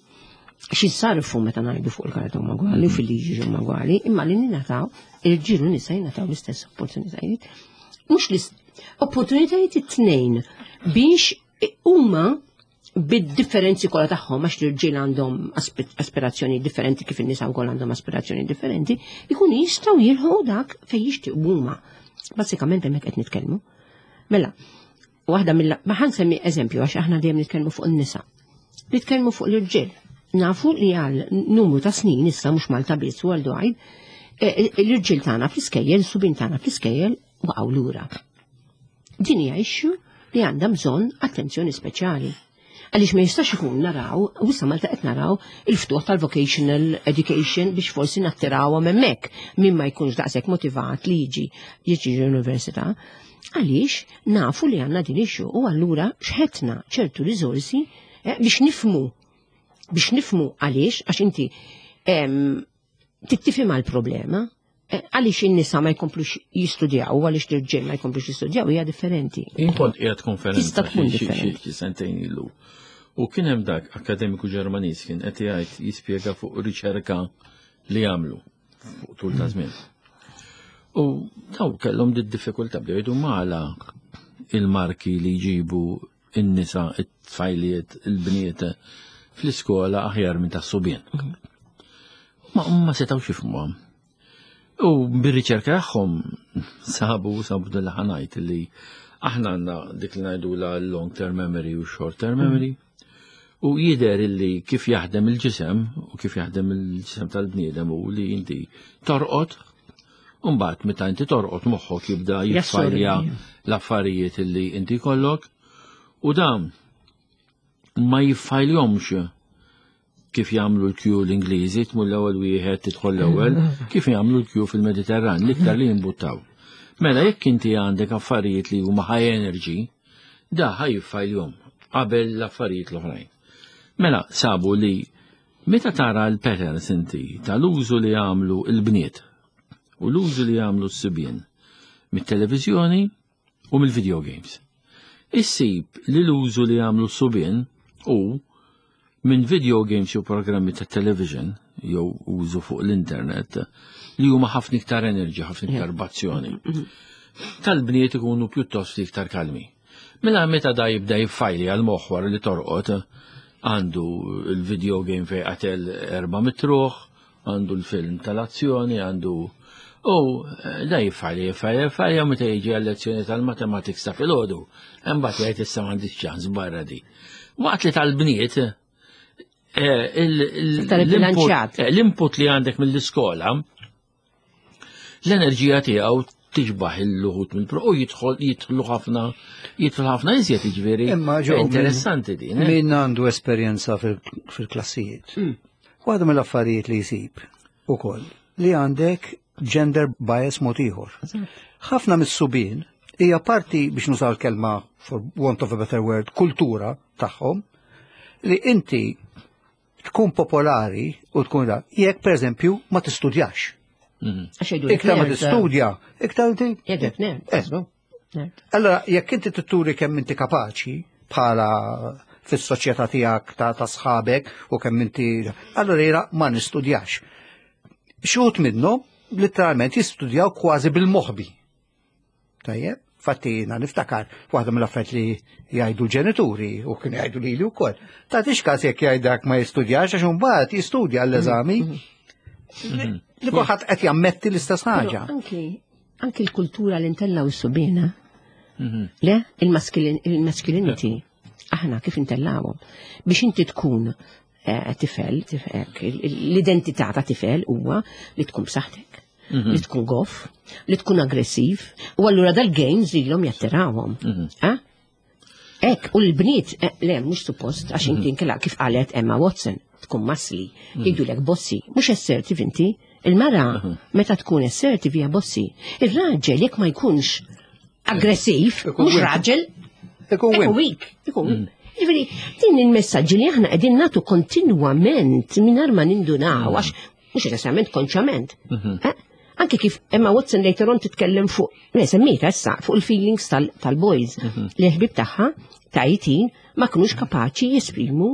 [SPEAKER 3] Xi sarfu meta ngħidu fuq il-karta huma gwali u fil-liġi huma gwali, imma li ningħataw irġiel u nisa jingħataw l-istess opportunitajiet. Mhux l opportunitajiet it-tnejn biex huma bid-differenzi kollha tagħhom, għax l-irġiel għandhom aspi- aspirazzjoni differenti kif in-nisa wkoll għandhom aspirazzjoni differenti, ikunu jistgħu jilħqu dak fejn jixtiequ huma. Bażikament hemmhekk qed nitkellmu. Mela, waħda mill ma ħa nsemmi eżempju, għax aħna dejjem nitkellmu fuq in-nisa. Nitkellmu fuq l-irġiel. Nafu li għal numru ta' snin issa, mhux Malta biss, worldwide, eh, l-irġiel tagħna fl-iskejjel, subien tagħna fl-iskejjel waqgħu lura. Din hija issue li għandha bżonn attenzjoni speċjali. Għaliex ma jistax ikun naraw, u issa Malta qed naraw il-ftuħ tal-vocational education biex forsi nattirawhom hemmhekk min ma jkunx daqshekk motivat li jiġi jiġi l-università. Għaliex nafu li għandna din issue u allura xħetna ċertu riżorsi eh, biex nifmu biex nifmu għaliex, għax inti em, tittifhem l-problema, eh, għaliex in-nisa ma jkomplux jistudjaw u għaliex l-irġiel ma jkomplux jistudjaw hija differenti.
[SPEAKER 2] Jien kont qiegħed konferenza
[SPEAKER 3] Tista' tkun
[SPEAKER 2] xi- xi-
[SPEAKER 3] differenti.
[SPEAKER 2] xi sentejn ilu. U kien hemm dak akademiku Ġermaniż kien qed jgħid, jispjega fuq riċerka li għamlu fuq tul ta' żmien. U daw kellhom di diffikultà, bdew jgħidu mala il-marki li jġibu in-nisa, it-tfajliet, il-bniet fl-iskola aħjar minn tas-subien. Ma ma setgħux jifhmuhom. U bir-riċerka tagħhom sabu sabu dal ħa ngħid li aħna għandna dik li ngħidu la long term memory u short term memory. U jidher illi kif jaħdem il-ġisem u kif jaħdem il-ġisem tal-bniedem u li inti torqod, u mbagħad meta inti torqod moħħok jibda jiffajlja l-affarijiet illi inti kollok u dan ma jiffajljomx kif jagħmlu l-kju l-Ingliżi, tmur l-ewwel wieħed tidħol l-ewwel, kif jagħmlu l-kju fil-Mediterran, l-iktar li jimbuttaw. Mela jekk inti għandek affarijiet li huma high energy, da ħa jiffajljom qabel l-affarijiet l-oħrajn. Mela sabu li meta tara l-patterns inti tal-użu li jagħmlu l-bniet u l-użu li jagħmlu s-sibien mit-televiżjoni u mill-video games. Issib li l-użu li jagħmlu s-subien u minn video games jew programmi ta' television jew użu fuq l-internet li huma ħafna iktar energy, ħafna iktar b'azzjoni. Tal-bniet ikunu pjuttost iktar kalmi. Mela meta da jibda jiffajli għal moħħ li torqod, għandu il-video game fej qatel erba' mitruħ, għandu l-film tal-azzjoni, għandu u da jiffajli, jiffajli, jiffajli, u meta jiġi għal-lezzjoni tal-mathematics ta' filgħodu, imbagħad jgħid issa m'għandix ċans barra di. Waqt li tal-bniet, eh, il- il-
[SPEAKER 3] Iktar
[SPEAKER 2] l-input
[SPEAKER 3] bilanċjat.
[SPEAKER 2] eh, l-input li għandek mill-iskola, l-enerġija tiegħu tiġbaħ il-luħut mill-pro u jidħol jidħlu ħafna jidħlu ħafna iżjed jiġifieri.
[SPEAKER 4] Imma ġo,
[SPEAKER 2] interessanti din. eh?
[SPEAKER 4] Min għandu esperjenza fil- fil-klassijiet. Waħda mill-affarijiet li jsib ukoll li għandek gender bias mod ieħor. Ħafna mis-subien hija parti biex nużaw l-kelma for want of a better word, kultura tagħhom li inti tkun popolari u tkun da, jekk per eżempju ma tistudjax.
[SPEAKER 3] Għax jgħidu
[SPEAKER 4] Iktar ma
[SPEAKER 3] nerd.
[SPEAKER 4] tistudja, iktar inti.
[SPEAKER 3] Jgħidlek nerd.
[SPEAKER 4] Eh.
[SPEAKER 3] Nerd.
[SPEAKER 4] Allora, jekk inti turi kemm inti kapaċi bħala fis-soċjetà tiegħek ta' ta' sħabek u kemm inti allora jiena ma nistudjax. Xi wħud minnhom letteralment jistudjaw kważi bil-moħbi. Tajjeb, fatti jiena niftakar waħda mill-affarijiet li jgħidu l-ġenituri u kienu jgħidu lili wkoll. Tagħtix każ jekk jgħidak ma jistudjax għax imbagħad jistudja l-eżami. Li li kulħadd qed jammetti l-istess ħaġa.
[SPEAKER 3] Però Anki, anki l-kultura li ntellaw is-subien. Le, il-masculin- il-masculinity, aħna kif intellawhom. Biex inti tkun eh, tifel, tif- hekk, il- il- l-identità ta' tifel huwa li tkun b'saħħtek, li tkun goff, li tkun aggressiv, u allura dal-games ilhom jattirawhom. Eh? Ek, u l-bniet, eh, le, mhux suppost, għax inti nkella kif qalet Emma Watson, tkun muscly, jgħidulek bossy, mhux assertive inti. Il-mara, meta tkun assertive hija bossy. Il-raġel, jekk ma jkunx aggressiv,
[SPEAKER 4] Ikun
[SPEAKER 3] mhux
[SPEAKER 4] weak.
[SPEAKER 3] raġel,
[SPEAKER 4] Ikun
[SPEAKER 3] ikun
[SPEAKER 4] wimp.
[SPEAKER 3] weak, ikun weak. Ġifieri, din il-messaġġi li aħna qegħdin nagħtu kontinwament mingħajr ma nindunaw, għax mhux neċessarjament konxjament. Eh? Anke kif Emma Watson later on titkellem fuq, ne semmita issa, fuq il-feelings tal- tal-boys. Li ħbib tagħha ta' eighteen ma kinux kapaċi jesprimu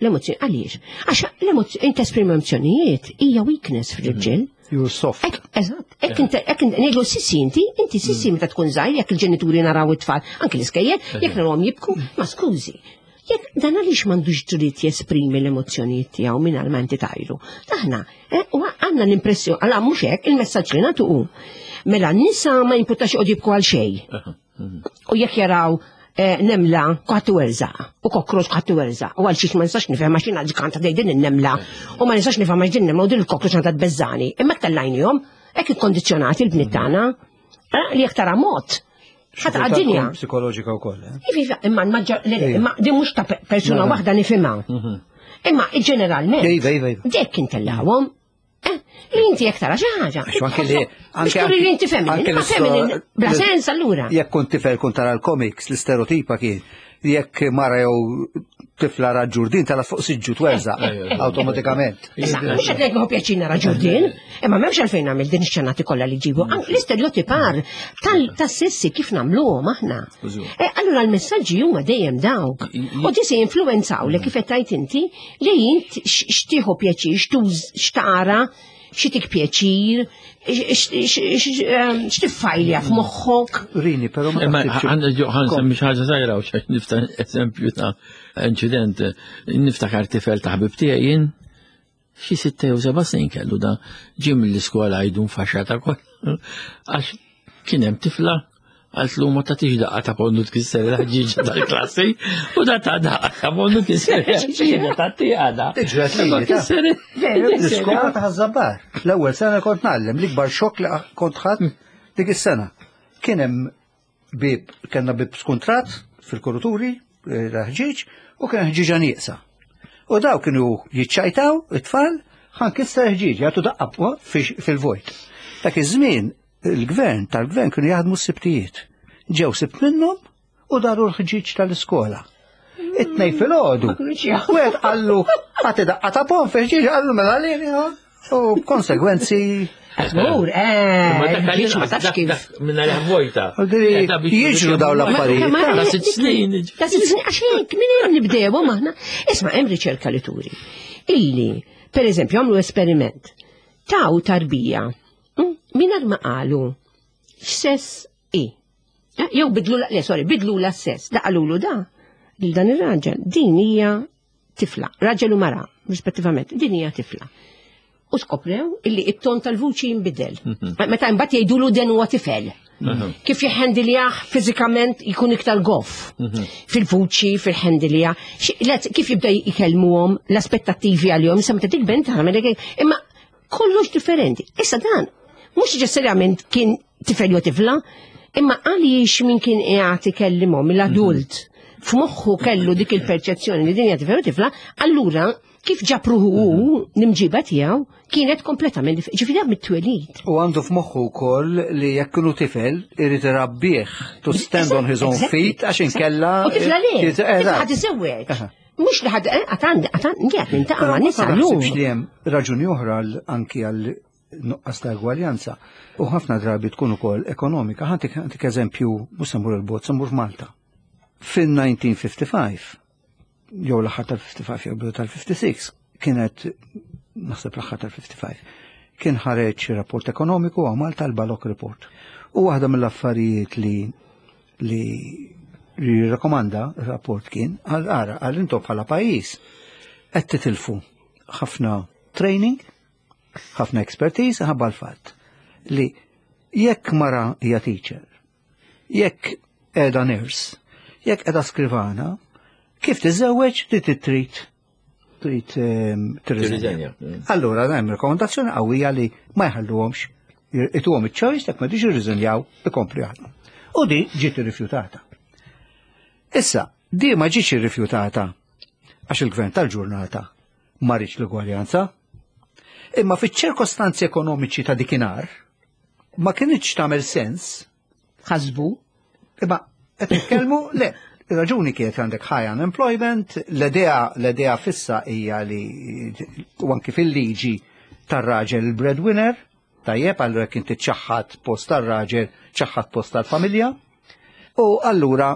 [SPEAKER 3] l-emozzjoni. Għaliex? Għax l-emozzjoni, inti esprimi emozjonijiet hija weakness fil-irġiel.
[SPEAKER 4] You're soft.
[SPEAKER 3] Ek, eżatt, ek inti, ek inti, ngħidlu sissy inti, inti sissy meta tkun żgħir, jekk il-ġenituri naraw it-tfal, anke l-iskejjel, jekk narawhom jibku, ma skużi. Jekk dan għaliex m'għandux dritt jesprimi l-emozzjonijiet tiegħu mingħajr ma inti tajru. Aħna, eh, u għandna l-impressjoni, għala mhux hekk, il-messaġġ li nagħtu hu. Mela n-nisa ma jimpurtax joqogħdu jibku għal xejn. U jekk jaraw eh, nemla kwaħt werżaq, u cockroach kwaħt werżaq, u għal xiex ma nistax nifhem għax jiena ġganta dej din in-nemla, u ma nistax nifhem għax din nemla u din il-cockroach għandha tbeżżani. Imma tellajnihom, hekk ikkondizzjonati l-bniet tagħna, eh, li jekk tara mod. Ħadd għad-dinja.
[SPEAKER 4] Psikoloġika wkoll, eh?
[SPEAKER 3] Iva, iva, imma l-maġġor, le, le, imma din mhux ta' pe- persuna waħda nifhimha. Imma ġeneralment.
[SPEAKER 4] Iva, iva, iva.
[SPEAKER 3] Dek intellawhom. Eh, li inti jekk tara xi ħaġa.
[SPEAKER 4] Għax anke li
[SPEAKER 3] Biex turi li inti feminin,
[SPEAKER 4] anke
[SPEAKER 3] imma
[SPEAKER 4] l-isto-
[SPEAKER 3] feminin bla sens allura.
[SPEAKER 4] Jekk kont tifel kont tara l-comics, l-istereotipa kien jekk mara jew tifla ra ġurdin tala fuq siġġu twerżaq automatikament.
[SPEAKER 3] Issa, mhux qed ngħid pjaċir nara ġurdin, imma m'hemmx għalfejn nagħmel din ix-xenati kollha li ġibu. Anke L-istereotipar tal-sessi kif nagħmluhom aħna. E, allura l-messaġġi huma dejjem dawk. U di se jinfluwenzaw li kif qed tgħid inti li int x- xtieħu pjaċir, xtuż xtara, x'itik pjaċir, x'tiffajlja f'moħħok.
[SPEAKER 4] Rini, però ma
[SPEAKER 2] Imma
[SPEAKER 4] taħsibx-
[SPEAKER 2] għandna ġo ħa nsemmi xi ħaġa żgħira u xi nifta eżempju ta' inċident. Niftakar tifel ta' ħabib tiegħi jien xi sitta jew seba' snin kellu da ġie mill-iskola jdu nfaxxata kol. Għax kien hemm tifla Għaltlu ma tagħtix daqqa ta' ponnu tkisser il-ħġieġa tal-klassi u da ta' daqqa ta' ponnu tkisser il-ħġieġa tat-tieqa da.
[SPEAKER 4] Ġrat li
[SPEAKER 2] Tkisser
[SPEAKER 4] L-iskola ta' Ħaż-Żabbar. L-ewwel sena kont ngħallem, l-ikbar xokk li kont ħadd dik is-sena. Kien hemm bib, kellna bib skuntrat fil-koruturi, ħġieġ, u kien ħġieġa nieqsa. U daw kienu jiċċajtaw it-tfal, ħa nkisser ħġieġ, jagħtu daqqa fil-vojt. Dak iż-żmien il-gvern tal-gvern kienu jaħdmu s-sibtijiet. Ġew sibt minnhom u daru l-ħġieġ tal-iskola. It-tnejn filgħodu. Wieħed qallu ħati daqqa ta' pon fil-ħġieġ qallu mela lili u konsegwenzi.
[SPEAKER 3] Żgur, eh, ħġieġ ma tafx kif.
[SPEAKER 2] Minna li vojta.
[SPEAKER 4] Jiġru daw l-affarijiet.
[SPEAKER 2] Ta' sitt snin.
[SPEAKER 3] Ta' sitt snin, għax hekk minn hemm nibdew aħna. Isma' hemm riċerka li turi. Illi, per eżempju, għamlu esperiment. Taw tarbija mingħajr ma qalu x'sess i. Jew bidlu le, sorry, bidlu la sess, da qalulu da lil dan ir-raġel, din hija tifla, raġel u mara, rispettivament, din hija tifla. U skoprew illi it-ton tal-vuċi jinbidel. Meta imbagħad jgħidulu den huwa tifel. Kif jħendiljah fiżikament jkun iktar goff. Fil-vuċi, fil-ħendilja. Kif jibda jkellmuhom l-aspettattivi għalihom, issa meta tikber inti imma kollox differenti. Issa dan, mhux neċessarjament kien tifel jew tifla, imma għaliex min kien qiegħed ikellimhom l-adult f'moħħu kellu dik il-perċezzjoni li din hija tifel jew tifla, allura kif ġabruhu hu l-imġiba tiegħu kienet kompletament ġifieri mit-twelid.
[SPEAKER 4] U għandu f'moħħu wkoll li jekk kienu tifel irid irabbih to stand on his own feet għax inkella.
[SPEAKER 3] U tifla le, tifla ħad iżewweġ. Mhux li ħad għatan għatan qiegħed nintaqa' ma' nisa llum.
[SPEAKER 4] li hemm raġuni oħra anki għal nuqqas ta' egwaljanza u ħafna drabi tkun ukoll ekonomika. Ħantik ħantik eżempju mhux se mmur il-bogħod, se mmur f'Malta. Fin-elf disa' mija u ħamsa u ħamsin, jew l-aħħar tal-ħamsa u ħamsin jew bidu tal-ħamsa u ħamsin, kienet naħseb l-aħħar tal-ħamsa u ħamsin, kien ħareġ rapport ekonomiku għal Malta, l-Balok Report. U waħda mill-affarijiet li li jirrakkomanda il-rapport kien għal ara għal intom bħala pajjiż qed titilfu ħafna training, ħafna expertise ħabba l-fatt li jekk mara hija teacher, jekk qiegħda nurse, jekk qiegħda skrivana, kif tiżewweġ li trid trid ehm, tirriżenja. Allura hemm rekomendazzjoni qawwija li ma jħalluhomx ituhom iċ-choice jekk ma diġ irriżenjaw ikomplu jaħdmu. U di ġiet irrifjutata. Issa, di ma ġietx irrifjutata għax il-gvern tal-ġurnata ma riedx l-ugwaljanza, imma fiċ-ċirkostanzi ekonomiċi ta' dikinhar ma kinitx tagħmel sens.
[SPEAKER 3] Ħasbu.
[SPEAKER 4] Imma qed nitkellmu le, ir-raġuni kienet għandek high unemployment, l-idea l-idea fissa hija li u anki fil-liġi tar-raġel il-breadwinner, tajjeb, allura kien tiċċaħħad post tar-raġel, ċaħħad post tal-familja. U allura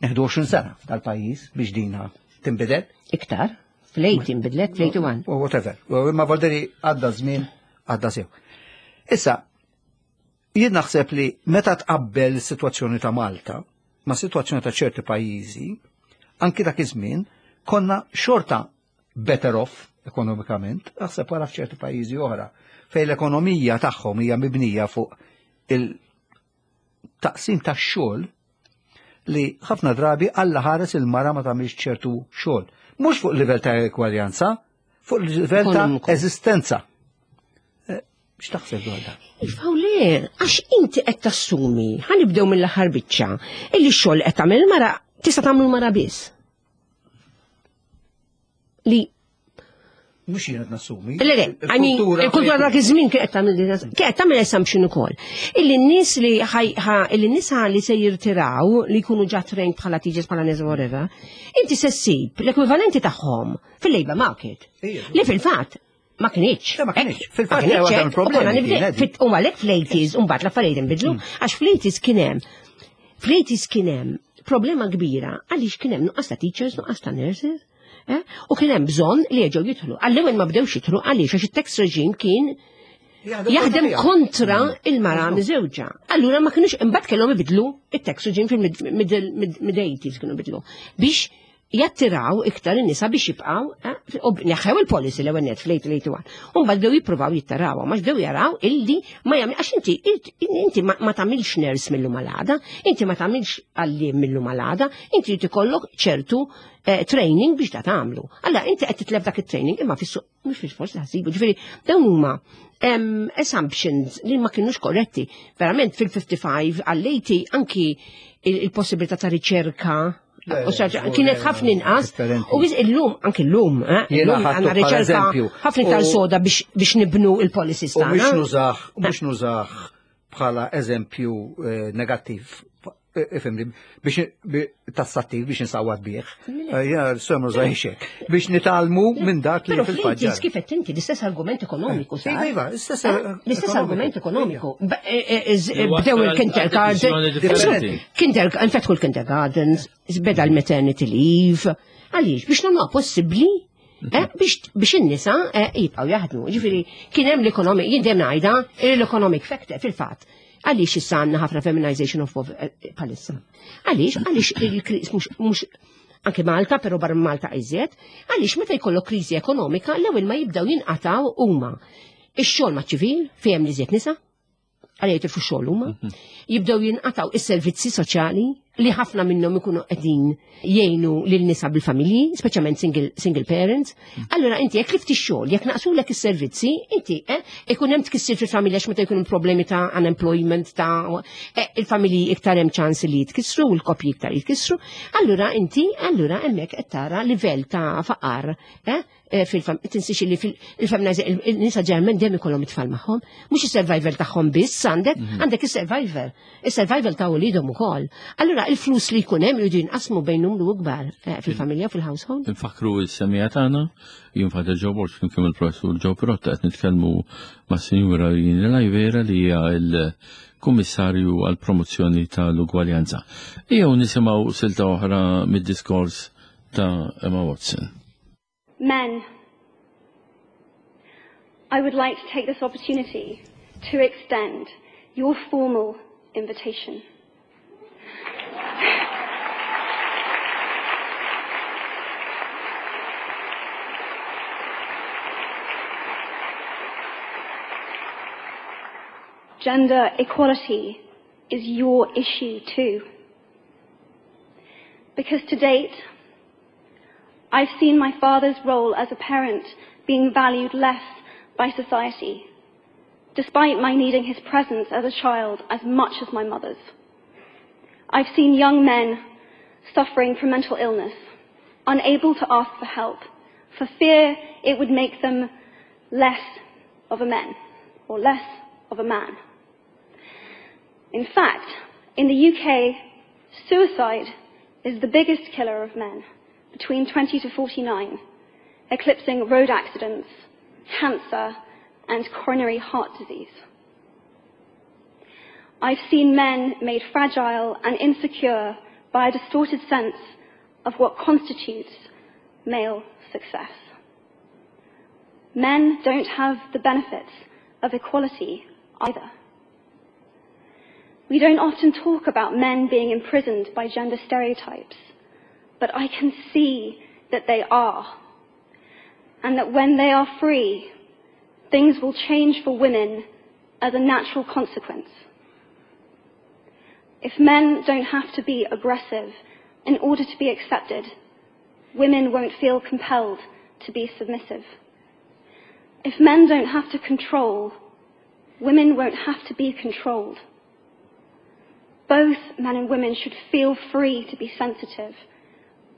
[SPEAKER 4] neħdu għoxrin sena tal-pajjiż biex dina tinbidel.
[SPEAKER 3] Iktar, fl-tmenin inbidlet, fl-wieħed u tmenin.
[SPEAKER 4] Whatever. Ma volderi għadda żmien, għadda sew. Issa, jien naħseb li meta tqabbel is-sitwazzjoni ta' Malta ma' sitwazzjoni ta' ċerti pajjiżi, anki dak iż-żmien konna xorta better off ekonomikament, naħseb wara f'ċerti pajjiżi oħra, fejn l-ekonomija tagħhom hija mibnija fuq il-taqsim tax-xogħol li ħafna drabi Alla ħares il-mara ma tagħmilx ċertu xogħol. Mhux fuq livell ta' ekwaljanza, fuq livell ta' eżistenza. X'taħseb dwar dan?
[SPEAKER 3] Iva u le, għax inti qed tassumi, ħa nibdew mill-aħħar biċċa, illi x-xogħol qed tagħmel mara tista' tagħmlu mara biss. Li
[SPEAKER 4] Mhux jien qed nassumi.
[SPEAKER 3] Le, le, I mean, il-kultura dak iż-żmien kien qed tagħmel kien qed tagħmel assumption ukoll. Illi n-nies li ħaj illi n-nisa li se jirtiraw li jkunu ġa trained bħala teachers, bħala nies, whatever, inti se ssib l-ekwivalenti tagħhom fil-labor market. Li fil-fatt ma kienx.
[SPEAKER 4] Ma kienx. Fil-fatt hemm problemi.
[SPEAKER 3] U għalhekk fl-eighties, u mbagħad l-affarijiet inbidlu, għax fl-eighties kien hemm fl-eighties kien hemm problema kbira għaliex kien hemm nuqqas ta' teachers, nuqqas ta' nurses. Eh? U kien hemm bżonn li jerġgħu jidħlu. Għall-ewwel ma bdewx jidħlu għaliex għax it-tax regime kien jaħdem kontra il-mara miżewġa. Allura ma kienux imbagħad kellhom ibidlu it-tax regime fil-mid-eighties kienu bidlu biex jattiraw iktar in-nisa biex jibqgħu, eh, u neħħew il-policy l-ewwel net fl-eighteen eighty-one. U mbagħad bdew jippruvaw jittaraw, ma bdew jaraw illi ma jagħmel għax inti inti ma ma tagħmilx nurse mill-lum għal għada, inti ma tagħmilx għalliem mill-lum għal għada, inti trid ikollok ċertu eh, training biex da tagħmlu. Alla inti qed titlef dak it-training imma fis-suq mhux fil-forsi ħasibu. Ġifieri dawn huma em, assumptions li ma kienux korretti. Verament fil-ħamsa u ħamsin għall-tmenin anki il- il-possibilità ta' riċerka
[SPEAKER 4] Le,
[SPEAKER 3] u saġa-
[SPEAKER 4] żgur,
[SPEAKER 3] kienet
[SPEAKER 4] le,
[SPEAKER 3] ħafna inqas.
[SPEAKER 4] differenti.
[SPEAKER 3] U biż illum, anki llum, eh,
[SPEAKER 4] Jiena
[SPEAKER 3] illum
[SPEAKER 4] ħadtu
[SPEAKER 3] għandna
[SPEAKER 4] bħala
[SPEAKER 3] riċerka
[SPEAKER 4] eżempju.
[SPEAKER 3] ħafna iktar
[SPEAKER 4] U-
[SPEAKER 3] soda biex biex nibnu il-policies
[SPEAKER 4] U mhux
[SPEAKER 3] tagħna.
[SPEAKER 4] nużah, mhux nużah bħala eżempju eh, negattiv, eh, ifhimni, biex bi- tassattiv biex nsawwat bih. Eh, Jiena semmu zaħixek. Biex nitgħallmu minn dak li
[SPEAKER 3] Però
[SPEAKER 4] fil-fatt
[SPEAKER 3] fl-eighties kif qed inti l-istess argument ekonomiku sar.
[SPEAKER 4] Iva, iva, l-istess,
[SPEAKER 3] Eh,
[SPEAKER 4] eh,
[SPEAKER 3] L-istess
[SPEAKER 4] ekonomiku.
[SPEAKER 3] argument ekonomiku. Ba- eh, eh, z-
[SPEAKER 2] Li
[SPEAKER 3] Bdew
[SPEAKER 2] wassal għal
[SPEAKER 3] il-kindergarten.
[SPEAKER 2] deċiżjoni differenti.
[SPEAKER 3] Kinder, infetħu l-kindergartens, beda l-maternity leave. Għaliex, biex nagħmluha possibbli eh, biex biex in-nisa eh, jibqgħu jaħdmu. Ġifieri kien hemm l-economic, jien dejjem ngħidha l-economic factor fil-fatt. Għaliex issa għandna ħafna feminization of poverty palissa? Għaliex, għaliex il-kriż mhux mhux anke Malta, però barra Malta iżjed, għaliex meta jkollok kriżi ekonomika, l-ewwel ma jibdew jinqataw huma ix-xogħol maċ-ċivil fejn hemm li nisa, għalija jitilfu xogħol huma, jibdew jinqataw is-servizzi soċjali li ħafna minnhom ikunu qegħdin jgħinu lil nisa bil-familji, speċjalment single, single parents. Allura inti jekk tlift ix-xogħol, jekk naqsulek is-servizzi, inti eh, ikun hemm tkissir fil-familja għax meta jkun hemm problemi ta' unemployment ta' eh, il-familji iktar hemm ċans li jitkissru u l-koppji iktar jitkissru. Allura inti allura hemmhekk qed tara livell ta' faqar eh, eh, fil-fam tinsiex li fil-feminize il-nisa ġeneralment dejjem ikollhom it-tfal magħhom, mhux is-survival tagħhom biss għandek, għandek is-survivor, is-survival ta' wliedhom ukoll. Allura il-flus li jkun hemm jridu jinqasmu bejn numru ikbar eh, fil-familja fil-household.
[SPEAKER 2] Nfakru s-semmiegħa tagħna, jien Father Joe Borg flimkien il-professur Joe Pirotta qed nitkellmu mas-Sinjura Irene Lajvera li hija l-Kummissarju għall-Promozzjoni tal-Ugwaljanza. Ejjew nisimgħu silta oħra mid-diskors ta' Emma Watson.
[SPEAKER 5] Men, I would like to take this opportunity to extend your formal invitation. Gender equality is your issue too. Because to date, I've seen my father's role as a parent being valued less by society, despite my needing his presence as a child as much as my mother's. I've seen young men suffering from mental illness, unable to ask for help, for fear it would make them less of a man or less of a man. In fact, in the U K, suicide is the biggest killer of men between twenty to forty-nine, eclipsing road accidents, cancer, and coronary heart disease. I've seen men made fragile and insecure by a distorted sense of what constitutes male success. Men don't have the benefits of equality either. We don't often talk about men being imprisoned by gender stereotypes, but I can see that they are. And that when they are free, things will change for women as a natural consequence. If men don't have to be aggressive in order to be accepted, women won't feel compelled to be submissive. If men don't have to control, women won't have to be controlled. Both men and women should feel free to be sensitive.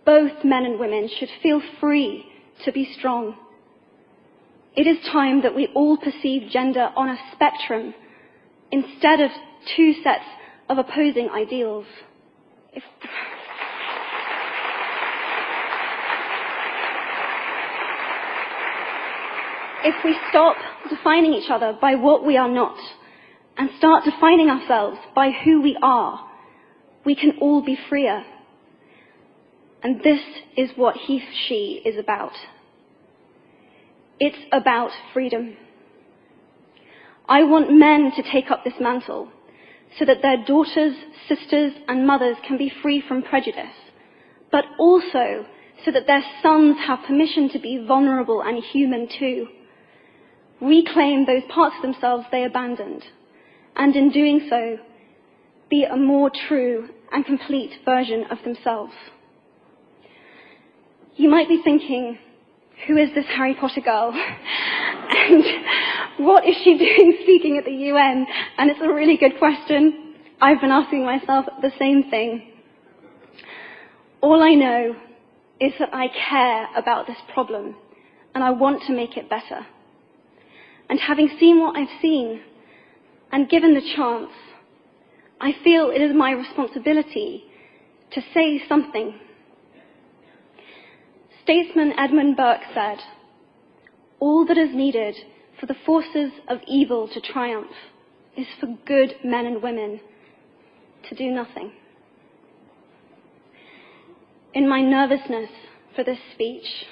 [SPEAKER 5] Both men and women should feel free to be strong. It is time that we all perceive gender on a spectrum instead of two sets of opposing ideals. If If we stop defining each other by what we are not and start defining ourselves by who we are, we can all be freer. And this is what He She is about. It's about freedom. I want men to take up this mantle so that their daughters, sisters, and mothers can be free from prejudice, but also so that their sons have permission to be vulnerable and human too. Reclaim those parts of themselves they abandoned, and in doing so, be a more true and complete version of themselves. You might be thinking, who is this Harry Potter girl? And what is she doing speaking at the U N? And it's a really good question. I've been asking myself the same thing. All I know is that I care about this problem and I want to make it better. And having seen what I've seen and given the chance, I feel it is my responsibility to say something. Statesman Edmund Burke said, "All that is needed for the forces of evil to triumph is for good men and women to do nothing." In my nervousness for this speech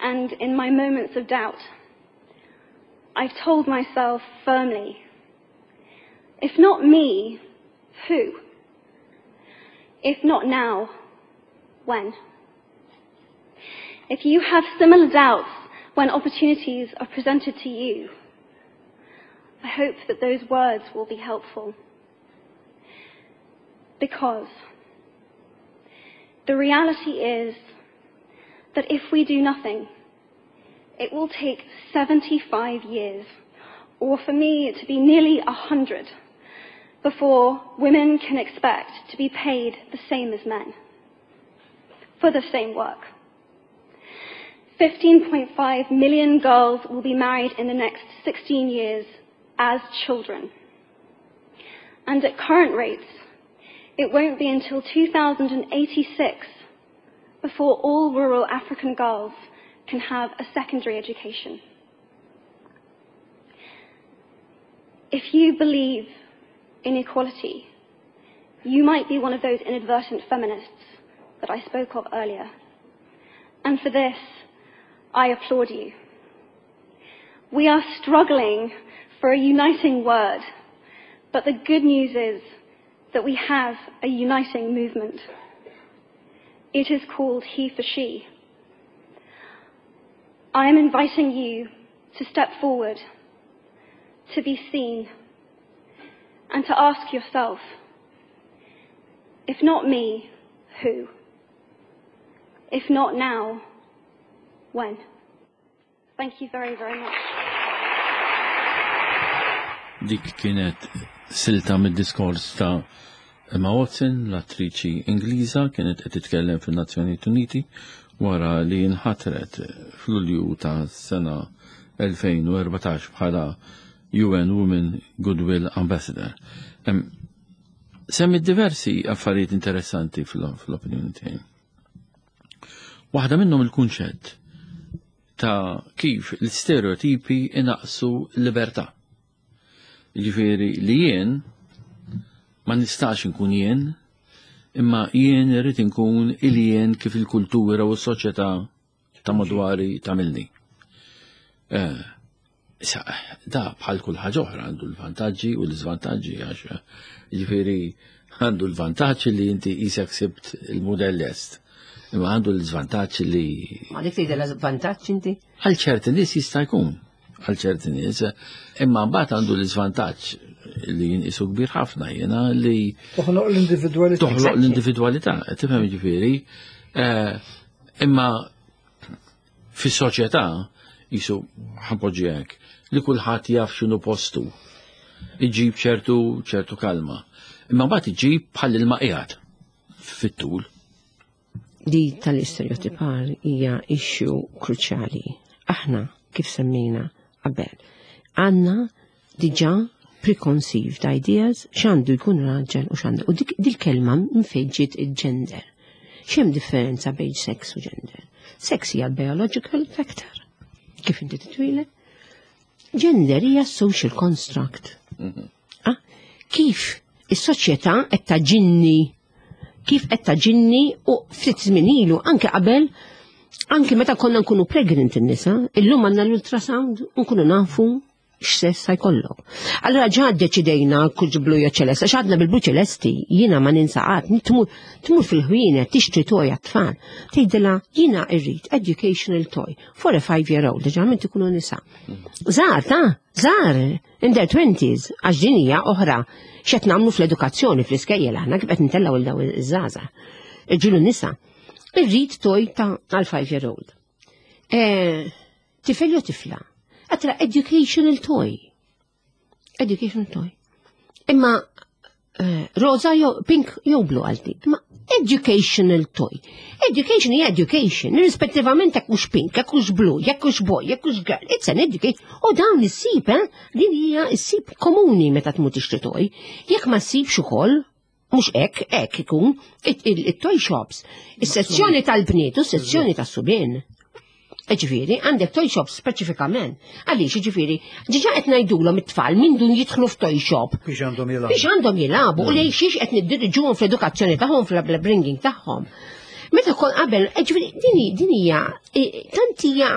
[SPEAKER 5] and in my moments of doubt, I've told myself firmly, if not me, who? If not now, when? If you have similar doubts when opportunities are presented to you, I hope that those words will be helpful. Because the reality is that if we do nothing, it will take seventy-five years, or for me to be nearly a hundred, before women can expect to be paid the same as men for the same work. fifteen point five million girls will be married in the next sixteen years as children. And at current rates, it won't be until two thousand eighty-six before all rural African girls can have a secondary education. If you believe in equality, you might be one of those inadvertent feminists that I spoke of earlier. And for this, I applaud you. We are struggling for a uniting word, but the good news is that we have a uniting movement. It is called He for She. I am inviting you to step forward, to be seen, and to ask yourself, if not me, who? If not now, when? Thank you very, very much.
[SPEAKER 2] Dik kienet silta mid-diskors ta' Emma Watson, l-attriċi Ingliża, kienet qed titkellem fin-Nazzjonijiet Uniti wara li nħatret f'Lulju ta' sena elfejn u erbatax bħala U N Women Goodwill Ambassador. Semmi diversi affarijiet interessanti fl-opinjoni tiegħi. Waħda minnhom il-kunċett ta' kif l-stereotipi inaqsu l-libertà. Jiġifieri li jien ma nistax inkun jien, imma jien irrid inkun il-jien kif il-kultura u s-soċjetà ta' madwari tagħmilni. Issa, da bħal kull ħaġa oħra għandu l-vantaġġi u l-iżvantaġġi, għax jiġifieri għandu l-vantaġġ li inti qisek sibt il-mudell est. Imma għandu l-iżvantaġġ li
[SPEAKER 3] Ma dik tgħidha l-vantaġġ inti?
[SPEAKER 2] Għal ċerti nies jista' jkun, għal ċerti nies, imma mbagħad għandu l-iżvantaġġ li jinqisu kbir ħafna jiena li
[SPEAKER 6] toħloq l-individwalità.
[SPEAKER 2] Toħloq l-individwalità, tifhem jiġifieri. Imma fis-soċjetà jisu ħanpoġġi hekk li kulħadd jaf x'inhu postu. Iġib ċertu ċertu kalma. Imma mbagħad iġib bħal ilma qiegħed fit-tul.
[SPEAKER 3] Di tal-istereotipar hija issue kruċjali. Aħna kif semmejna qabel, għandna diġà preconceived ideas x'għandu jkun raġel u x'għandu. U dik dil-kelma minn fejn ġiet il-gender. X'hemm differenza bejn sex u gender? Sex hija biological factor, kif inti titwieled. Gender hija social construct. Ah, kif is-soċjetà qed taġinni, kif qed taġinni u ftit żmien ilu anke qabel, anke meta konna nkunu pregnant in-nisa, illum għandna l-ultrasound u nkunu nafu X'sess jkollok. Allora ġa ddeċidejna kull blu jew ċelesti, għax għadna bil-blu ċelesti, jiena ma ninsaqat, tmur tmur fil-ħwienet tixtri toy għat-tfal. Tgħidilha jiena irrid educational toy for a five year old, ġeneralment ikunu nisa. Żgħar ta' żgħar, in their twenties, għax din hija oħra x'qed nagħmlu fl-edukazzjoni fl-iskejjel aħna kif qed ntellgħu il daw iż-żgħażagħ. Irġiel u nisa. Irrid toy ta' għal five year old. Eh, tifel jew tifla? Għatra educational toy. Educational toy. Imma eh, rosa jew pink jew blu għalti. Imma educational toy. Education hija education, irrispettivament jekk hux pink, jekk hux blu, jekk hux boy, jekk hux girl. It's an education. U dawn issib, eh? Din hija issib komuni meta tmur tixtri toy. Jekk ma ssibx ukoll, mhux hekk, hekk ikun, it-toy shops, is-sezzjoni tal-bniet u s-sezzjoni tas-subien. Ġifieri, għandek toy shop speċifikament. Għaliex, ġifieri, diġà qed ngħidulhom it-tfal minn dun jidħlu f'toy shop.
[SPEAKER 4] Biex għandhom jilagħbu.
[SPEAKER 3] Biex għandhom jilagħbu u lejn xiex qed niddiriġuhom fl-edukazzjoni tagħhom, fl-upbringing tagħhom. Meta kon qabel, ġifieri, din din hija tant hija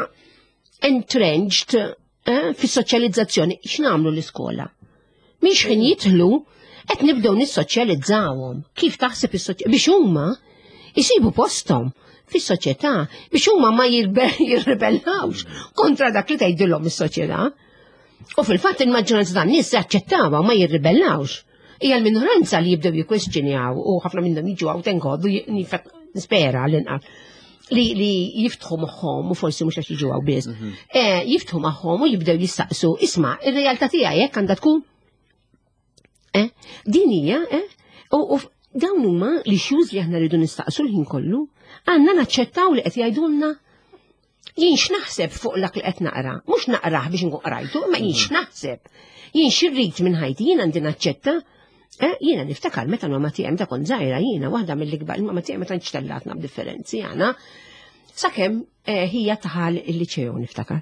[SPEAKER 3] entrenched eh, fis-soċjalizzazzjoni, x'nagħmlu l-iskola? Mhix ħin jidħlu qed nibdew nissoċjalizzawhom. Kif taħseb is biex huma jisibu posthom fis-soċjetà biex huma ma jirribellawx kontra dak li tgħidilhom is-soċjetà. U fil-fatt il-maġġoranza tan-nies jaċċettawha u ma jirribellawx. Hija l-minoranza li jibdew jikkwestjonjaw u ħafna minnhom jiġu hawn tenkodu nispera l-inqas li, li jiftħu moħħhom u forsi mhux għax jiġu hawn biss. Eh, jiftħu moħħhom u jibdew jistaqsu, isma' ir-realtà tiegħi hekk għandha tkun. Eh, din hija, eh, u, u dawn huma l-issues li aħna rridu nistaqsu l-ħin kollu, għandna naċċettaw li qed jgħidulna jien x'naħseb fuq dak li qed naqra, mhux naqrah biex nkun qrajtu, imma jien x'naħseb. Jien x'irrid minn ħajti, jien għandi naċċetta. Eh, jiena niftakar meta mamma tiegħi meta kont żgħira jiena waħda mill-ikbar, il-mamma tiegħi meta nċtellatna b'differenzi għana. Sakemm eh, hija daħal il-liċew niftakar.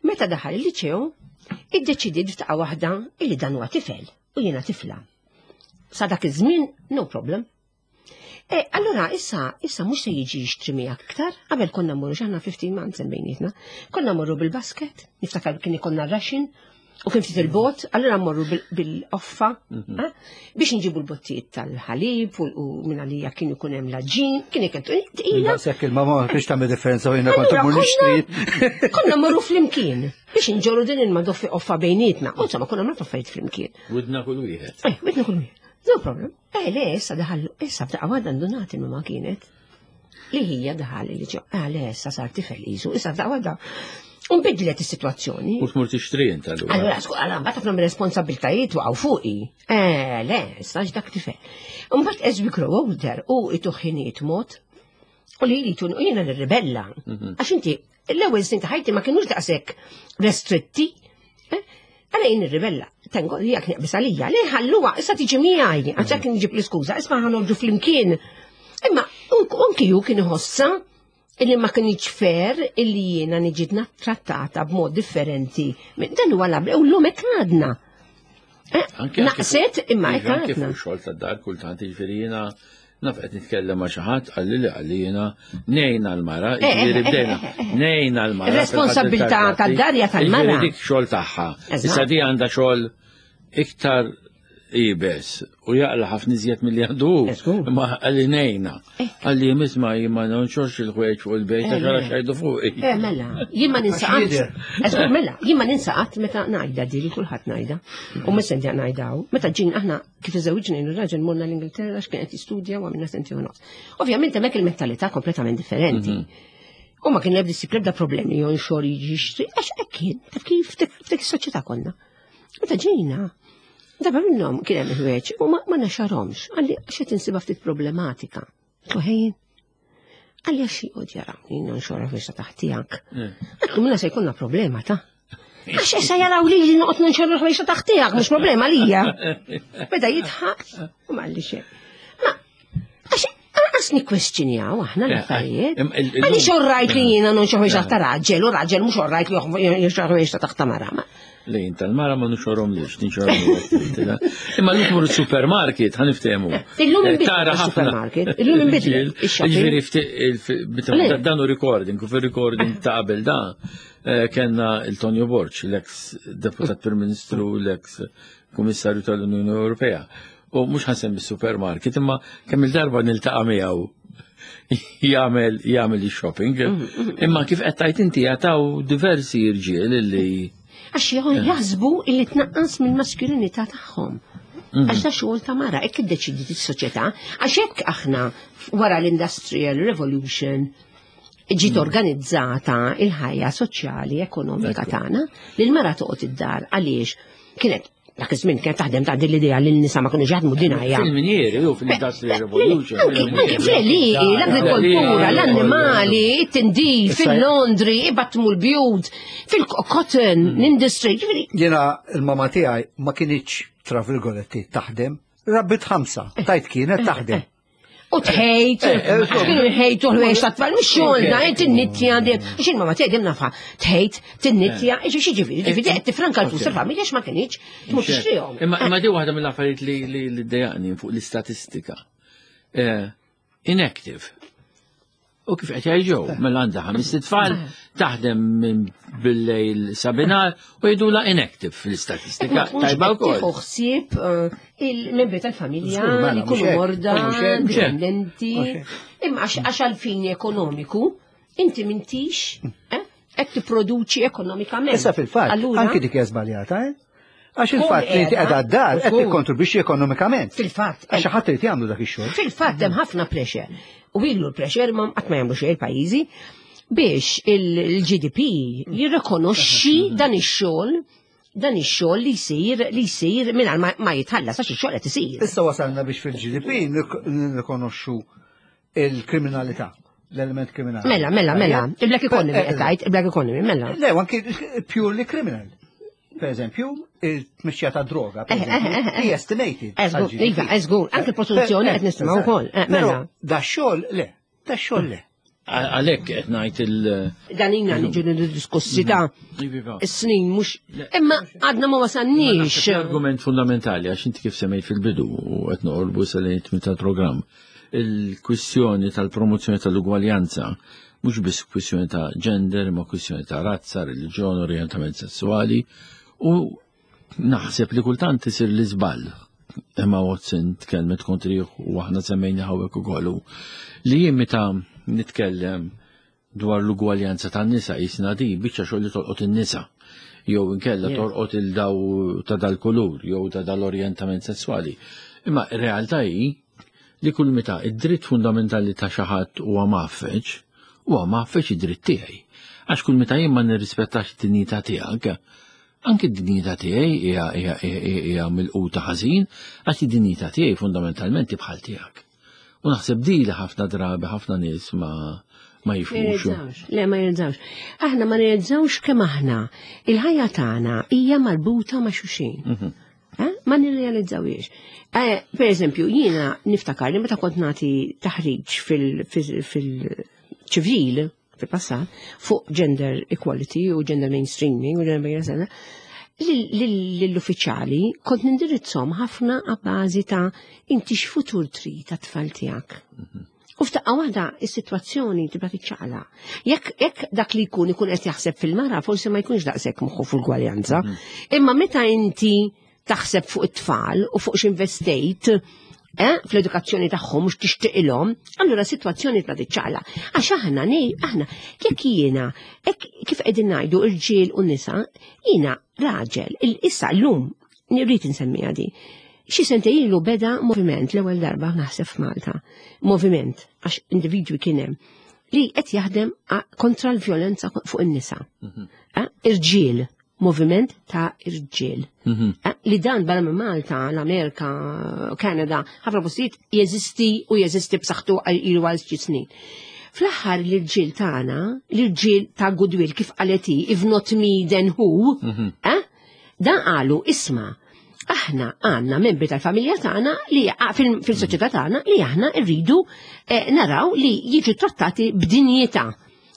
[SPEAKER 3] Meta daħal il-liċew, iddeċidiet f'daqqa waħda illi dan huwa tifel u jiena tifla. Sa dak iż-żmien, no problem. E, allora, issa, issa mhux se jiġi jixtri miegħek iktar, qabel konna mmorru x'aħna fifteen months bejnietna. Konna mmorru bil-basket, niftakar kien ikollna ration, u kien ftit il-bot, allora mmorru bil-offa, eh, biex nġibu l-bottijiet tal-ħalib u minn għalija kien ikun hemm l-għaġin, kien ikun tqila.
[SPEAKER 4] Daqshekk il-mamma biex tagħmel differenza u jiena kont immur nixtri.
[SPEAKER 3] Konna mmorru flimkien biex nġorru din il-madoffi offa bejnietna. U insomma konna nagħmlu affarijiet flimkien.
[SPEAKER 2] Widna kull wieħed.
[SPEAKER 3] Eh, widna kull wieħed. No problem. Eh, le, issa daħal, issa f'daqqa waħda ndunat il-mama kienet. Li hija daħal li ġo, eh, le, issa sar tifel isu, issa f'daqqa waħda. Unbidlet is-sitwazzjoni.
[SPEAKER 2] U tmur tixtri inta allura.
[SPEAKER 3] Allura, sku, allura, mbagħad ħafna mir-responsabbiltajiet waqgħu fuqi. Eh, le, issa dak tifel. Mbagħad as we grow older u ituħiniet mod u li li tun u jiena nirribella. Għax inti l-ewwel snin ta' ħajti ma kienux daqshekk restritti. Eh? Għala jien nirribella. Tengo, jek neqbis għalija, le ħalluha, issa tiġi miegħi, għax hekk nġib l-iskuża, isma' ħa noħorġu flimkien. Imma anki ju kien iħossa illi ma kienx fair illi jiena niġi trattata b'mod differenti. Dan huwa labli, u llum hekk għadna. Eh, naqset imma hekk
[SPEAKER 2] Anke
[SPEAKER 3] għadna.
[SPEAKER 2] fuq xogħol tad-dar kultant jiġifieri jiena naf qed nitkellem ma' xi ħadd qalli li qalli jiena ngħinha l-mara,
[SPEAKER 3] Eh,
[SPEAKER 2] jiġifieri
[SPEAKER 3] eh,
[SPEAKER 2] bdejna
[SPEAKER 3] eh, eh, eh.
[SPEAKER 2] ngħinha l-mara.
[SPEAKER 3] Ir-responsabilità tad-dar hija tal-mara.
[SPEAKER 2] Jiġifieri dik xogħol tagħha.
[SPEAKER 3] Eżatt.
[SPEAKER 2] Issa di għandha xogħol iktar iebes u jaqla ħafna iżjed milli għandu.
[SPEAKER 3] Eżgur.
[SPEAKER 2] Ma qalli ngħinha. Qalli isma' jien ma nonxorx il-ħwejġ fuq il-bejt
[SPEAKER 3] Eh,
[SPEAKER 2] għax ara
[SPEAKER 3] le.
[SPEAKER 2] x'jgħidu fuqi.
[SPEAKER 3] Eh, mela, jien ma ninsaqat.
[SPEAKER 4] jidher.
[SPEAKER 3] Eżgur, mela, jien ma ninsaqat meta ngħidha di li kulħadd ngħidha. U mhux sentja ngħidaw. Meta ġin aħna kif iżewġna jien u raġel morna l-Ingilterra għax kien qed jistudja u għamilna senti u nofs. Ovvjament hemmhekk il-mentalità kompletament differenti. U ma kien ebda ebda problemi jonxor jiġi jixtri, għax hekk kien, taf kif f'dik is-soċjetà konna. Meta ġejna, darba minnhom kien hemm il-ħwejjeġ u ma ma naxarhomx, qalli għax qed insibha ftit problematika. Għedtlu ħejjin. Qalli għax joqgħod jarawni nonxorha fiex ta' taħtijak. Għedtlu minna se jkollna problema ta' Għax issa jaraw li li noqgħod nonxorra ħwejxa taħtijak, mhux problema lija. Beda jidħaq u ma qalli xejn. Ma għax Lanqas nikkwestjonjaw aħna
[SPEAKER 2] Eh,
[SPEAKER 3] l-affarijiet.
[SPEAKER 2] eh, il- il-
[SPEAKER 3] Għaliex orrajt li jiena non xi ta' raġel, u raġel mhux orrajt li joħroġ ta' taħt mara. Ma-
[SPEAKER 2] Lejn tal-mara ma nuxorom lix, nixorom. Imma l tmur il-supermarket, ħa niftehmu.
[SPEAKER 3] Illum
[SPEAKER 2] Eh,
[SPEAKER 3] inbidlet
[SPEAKER 2] tara ħafna.
[SPEAKER 3] il-supermarket, illum inbidlet ix-shopping.
[SPEAKER 2] Ġifieri fti- il- meta-
[SPEAKER 3] Le.
[SPEAKER 2] dan hu recording, u fil-recording ta' qabel da, eh, kellna il-Tonio Borg, l-ex deputat Prim Ministru, l-ex Kummissarju tal-Unjoni Ewropea. U mhux ħa nsemmi supermarket, imma kemm il-darba niltaqa' miegħu jagħmel jagħmel ix-shopping. Imma kif qed tgħid inti jataw diversi irġiel illi
[SPEAKER 3] Għax jħu- jaħsbu illi tnaqqas mill-maskulinità tagħhom. Għax da xogħol ta' mara, hekk iddeċidiet is-soċjetà, għax hekk aħna wara l-Industrial Revolution ġiet organizzata il-ħajja soċjali, ekonomika
[SPEAKER 2] Ekku.
[SPEAKER 3] tagħna, li l-mara toqgħod id-dar għaliex kienet dak iż-żmien kienet taħdem ta' din l-idea li n-nisa ma kinux jaħdmu dinajja.
[SPEAKER 2] Fil-minieri, u fil-Industrial Revolution.
[SPEAKER 3] Anki anki fl-għelieqi, l-agrikoltura, l-annimali, it-tindif, fil-laundry, ibattmu l-bjut, fil-cotton, l-industry, ġifieri,
[SPEAKER 4] Jiena il-mama tiegħi ma kinitx tra virgoletti taħdem, rabbit ħamsa, tajt kienet taħdem.
[SPEAKER 3] U tħejt,
[SPEAKER 4] eh,
[SPEAKER 3] kienu jħejtu l-ħwejx ta' tfal, mux xogħolna, tinnittja, għax il-mama tiegħi dejjem nafha, tħejt, tinnittja, xi ġifieri, ġifieri qed tifranka l-flus tal-familja għax ma kinitx tmur tixtrihom.
[SPEAKER 2] Imma imma di waħda mill-affarijiet li li li ddejjaqni fuq l-istatistika. Eh, Inactive. U kif qed jgħidu, mela għandha ħames tfal taħdem minn bil-lejl sa binhar u jgħidulha inactive fl-istatistika.
[SPEAKER 3] Ma tkunx
[SPEAKER 2] Tajba
[SPEAKER 3] qed
[SPEAKER 2] wkoll.
[SPEAKER 3] tieħu ħsieb eh, il-membri tal-familja
[SPEAKER 4] Żgur, mela,
[SPEAKER 3] li jkunu
[SPEAKER 4] mhux hekk,
[SPEAKER 3] morda,
[SPEAKER 4] mhux hekk.
[SPEAKER 3] dipendenti.
[SPEAKER 4] Mhux hekk.
[SPEAKER 3] Imma għax għax għal-fini ekonomiku, inti m'intix eh, qed tipproduċi ekonomikament.
[SPEAKER 4] Issa fil-fatt,
[SPEAKER 3] Allura,
[SPEAKER 4] anki dik hija żbaljata, eh? Għax
[SPEAKER 3] Kun
[SPEAKER 4] il-fatt li inti
[SPEAKER 3] qiegħda,
[SPEAKER 4] qiegħda d-dar qed
[SPEAKER 3] żgur.
[SPEAKER 4] tikkontribwixxi ekonomikament.
[SPEAKER 3] Fil-fatt,
[SPEAKER 4] Għax ħadd irid jagħmlu dak ix-xogħol.
[SPEAKER 3] Fil-fatt hemm ħafna pressure. U ilu l-pressure ma qatt ma jagħmlu xejn il-pajjiżi biex il-G D P jirrikonoxxi dan ix-xogħol dan ix-xogħol li jsir li jsir mingħajr ma- ma jitħallas għax ix-xogħol qed isir.
[SPEAKER 4] Issa wasalna biex fil-G D P nirrikonoxxu il-kriminalità, l-element kriminali.
[SPEAKER 3] Mela, mela, mela. Il-black economy
[SPEAKER 4] Eh,
[SPEAKER 3] qed tgħid, il-black economy, mela.
[SPEAKER 4] Le, anki purely criminal. Per eżempju, il-tmixxija ta' droga, per
[SPEAKER 3] Eh,
[SPEAKER 4] eżempju,
[SPEAKER 3] eh, eh,
[SPEAKER 4] hija estimated.
[SPEAKER 3] Eh, żgur,
[SPEAKER 4] għal-G D P.
[SPEAKER 3] iva, eh, żgur. Anke l-prostituzzjoni
[SPEAKER 4] Eh,
[SPEAKER 3] qed nisimgħu
[SPEAKER 4] eżatt.
[SPEAKER 3] wkoll. Eh,
[SPEAKER 4] Però
[SPEAKER 3] mela.
[SPEAKER 4] da xogħol le, da xogħol le.
[SPEAKER 2] Għalhekk qed ngħid il-
[SPEAKER 3] Dan ina niġu diskussi ta'
[SPEAKER 2] Iva.
[SPEAKER 3] is-snin mhux imma għadna ma wasalniex.
[SPEAKER 2] Argument fundamentali, għax inti kif semmejt fil-bidu u qed noqorbu sal tal-programm. Il-kwistjoni tal-promozzjoni tal-ugwaljanza mhux biss kwistjoni ta' gender, ma kwistjoni ta' razza, reliġjon, orientament sessuali u naħseb li kultant isir l-iżball. Emma Watson tkellmet kontrih u aħna semmejna hawnhekk ukoll li jien meta nitkellem dwar l-ugwaljanza tan-nisa jisna di biċċa xogħol li tolqot in-nisa jew inkella
[SPEAKER 3] Yes.
[SPEAKER 2] torqot il-daw ta' dal-kulur jew ta' dal-orjentament sessuali. Imma r-realtà hi li kull meta id-dritt fundamentali ta' xi ħadd huwa maffeġ, huwa maffeġ id-dritt tiegħi. Għax kull meta jien ma nirrispettax id-dinjità tiegħek, anki d-dinjità tiegħi hija hija hija hija milquta ħażin, għax id-dinjità tiegħi fundamentalment bħal tiegħek. U naħseb di li ħafna drabi ħafna nies ma ma
[SPEAKER 3] Ma
[SPEAKER 2] jifhmux.
[SPEAKER 3] jirrealizzawx. Le, ma jirrealizzawx. Aħna ma nirrealizzawx kemm aħna il-ħajja tagħna hija marbuta ma' xulxin. Eh? Ma nirrealizzawiex. Eh, per eżempju, jiena niftakar li meta kont nagħti taħriġ fil- fil- fil-ċivil fil-passat fuq gender equality u gender mainstreaming u gender mainstreaming, lill-uffiċjali kont nindirizzhom ħafna għabbażi ta' inti x'futur trid tat-tfal tiegħek. U f'daqqa waħda is-sitwazzjoni tibda tiċċaqla. Jekk jekk dak li jkun ikun qed jaħseb fil-mara, forsi ma jkunx daqshekk moħħu fil-gwaljanza. Imma meta inti taħseb fuq it-tfal u fuq x'investejt eh, fl-edukazzjoni tagħhom mhux tixtieqilhom, allura sitwazzjoni tibda tiċċaqla. Għax aħna nej, aħna jekk jiena hekk kif qegħdin ngħidu irġiel u nisa, jiena raġel, il- issa llum nirrid insemmiha di. Xi sentejn ilu beda moviment l-ewwel darba naħseb f'Malta. Moviment għax individwi kien hemm li qed jaħdem a- kontra l-vjolenza fuq in-nisa. Eh, Irġiel, moviment ta' irġiel. Eh, Li dan barra minn Malta, l-Amerika, Kanada, ħafna postijiet jeżisti u jeżisti b'saħħtu għal ilu għal xi snin. Fl-aħħar l-irġiel tagħna, l-irġiel ta' goodwill kif qalet hi, "If not me, then who?" eh? Dan qalu, isma', Aħna għandna membri tal-familja tagħna li fil-soċjetà tagħna li aħna rridu eh, naraw li jiġu trattati b'dinjità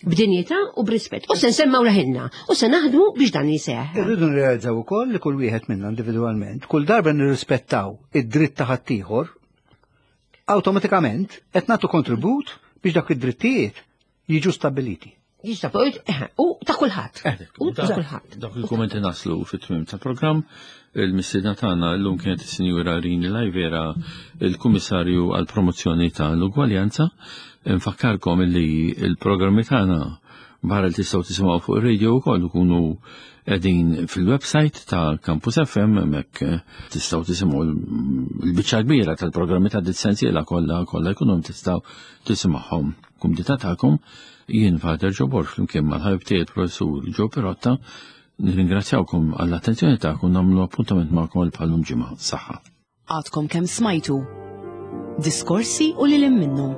[SPEAKER 3] b'dinjità u b'rispett. U se nsemmaw leħinna u se naħdmu biex dan jiseħ.
[SPEAKER 4] Irridu nirrealizzaw ukoll li kull wieħed minna individwalment, kull darba nirrispettaw id-dritt ta' ħaddieħor, awtomatikament qed nagħtu kontribut biex dak id-drittijiet jiġu stabiliti.
[SPEAKER 3] Eh, u ta' kulħadd.
[SPEAKER 2] Eh,
[SPEAKER 3] u ta' kulħadd.
[SPEAKER 2] Dak il-kummenti naslu fit-tmiem tal-programm. Il-mistiedna tagħna llum kienet is-Sinjura Rini Lajvera, il-Kummissarju għall-Promozzjoni tal-Ugwaljanza. Nfakkarkom li il-programmi tagħna barra li tistgħu tisimgħu fuq ir-radio wkoll ikunu qegħdin fil-website ta' Campus F M, hemmhekk tistgħu tisimgħu l-biċċa kbira tal-programmi ta' dis-sensiela kollha kollha jkunu tistgħu tisimgħuhom. Kumdità tagħkom, jien Father Joe Borg flimkien mal-ħabib tiegħi professur Joe Pirotta nirringrazzjawkom għall-attenzjoni tagħkom, nagħmlu appuntament magħkom għal bħal-lum ġimgħa. Saħħa.
[SPEAKER 1] Għadkom kemm smajtu Diskorsi u lil minnhom.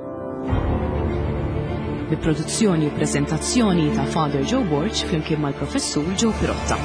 [SPEAKER 1] Bi produzzjoni u prezentazzjoni ta' Father Joe Borg flimkien mal-professur Joe Pirotta.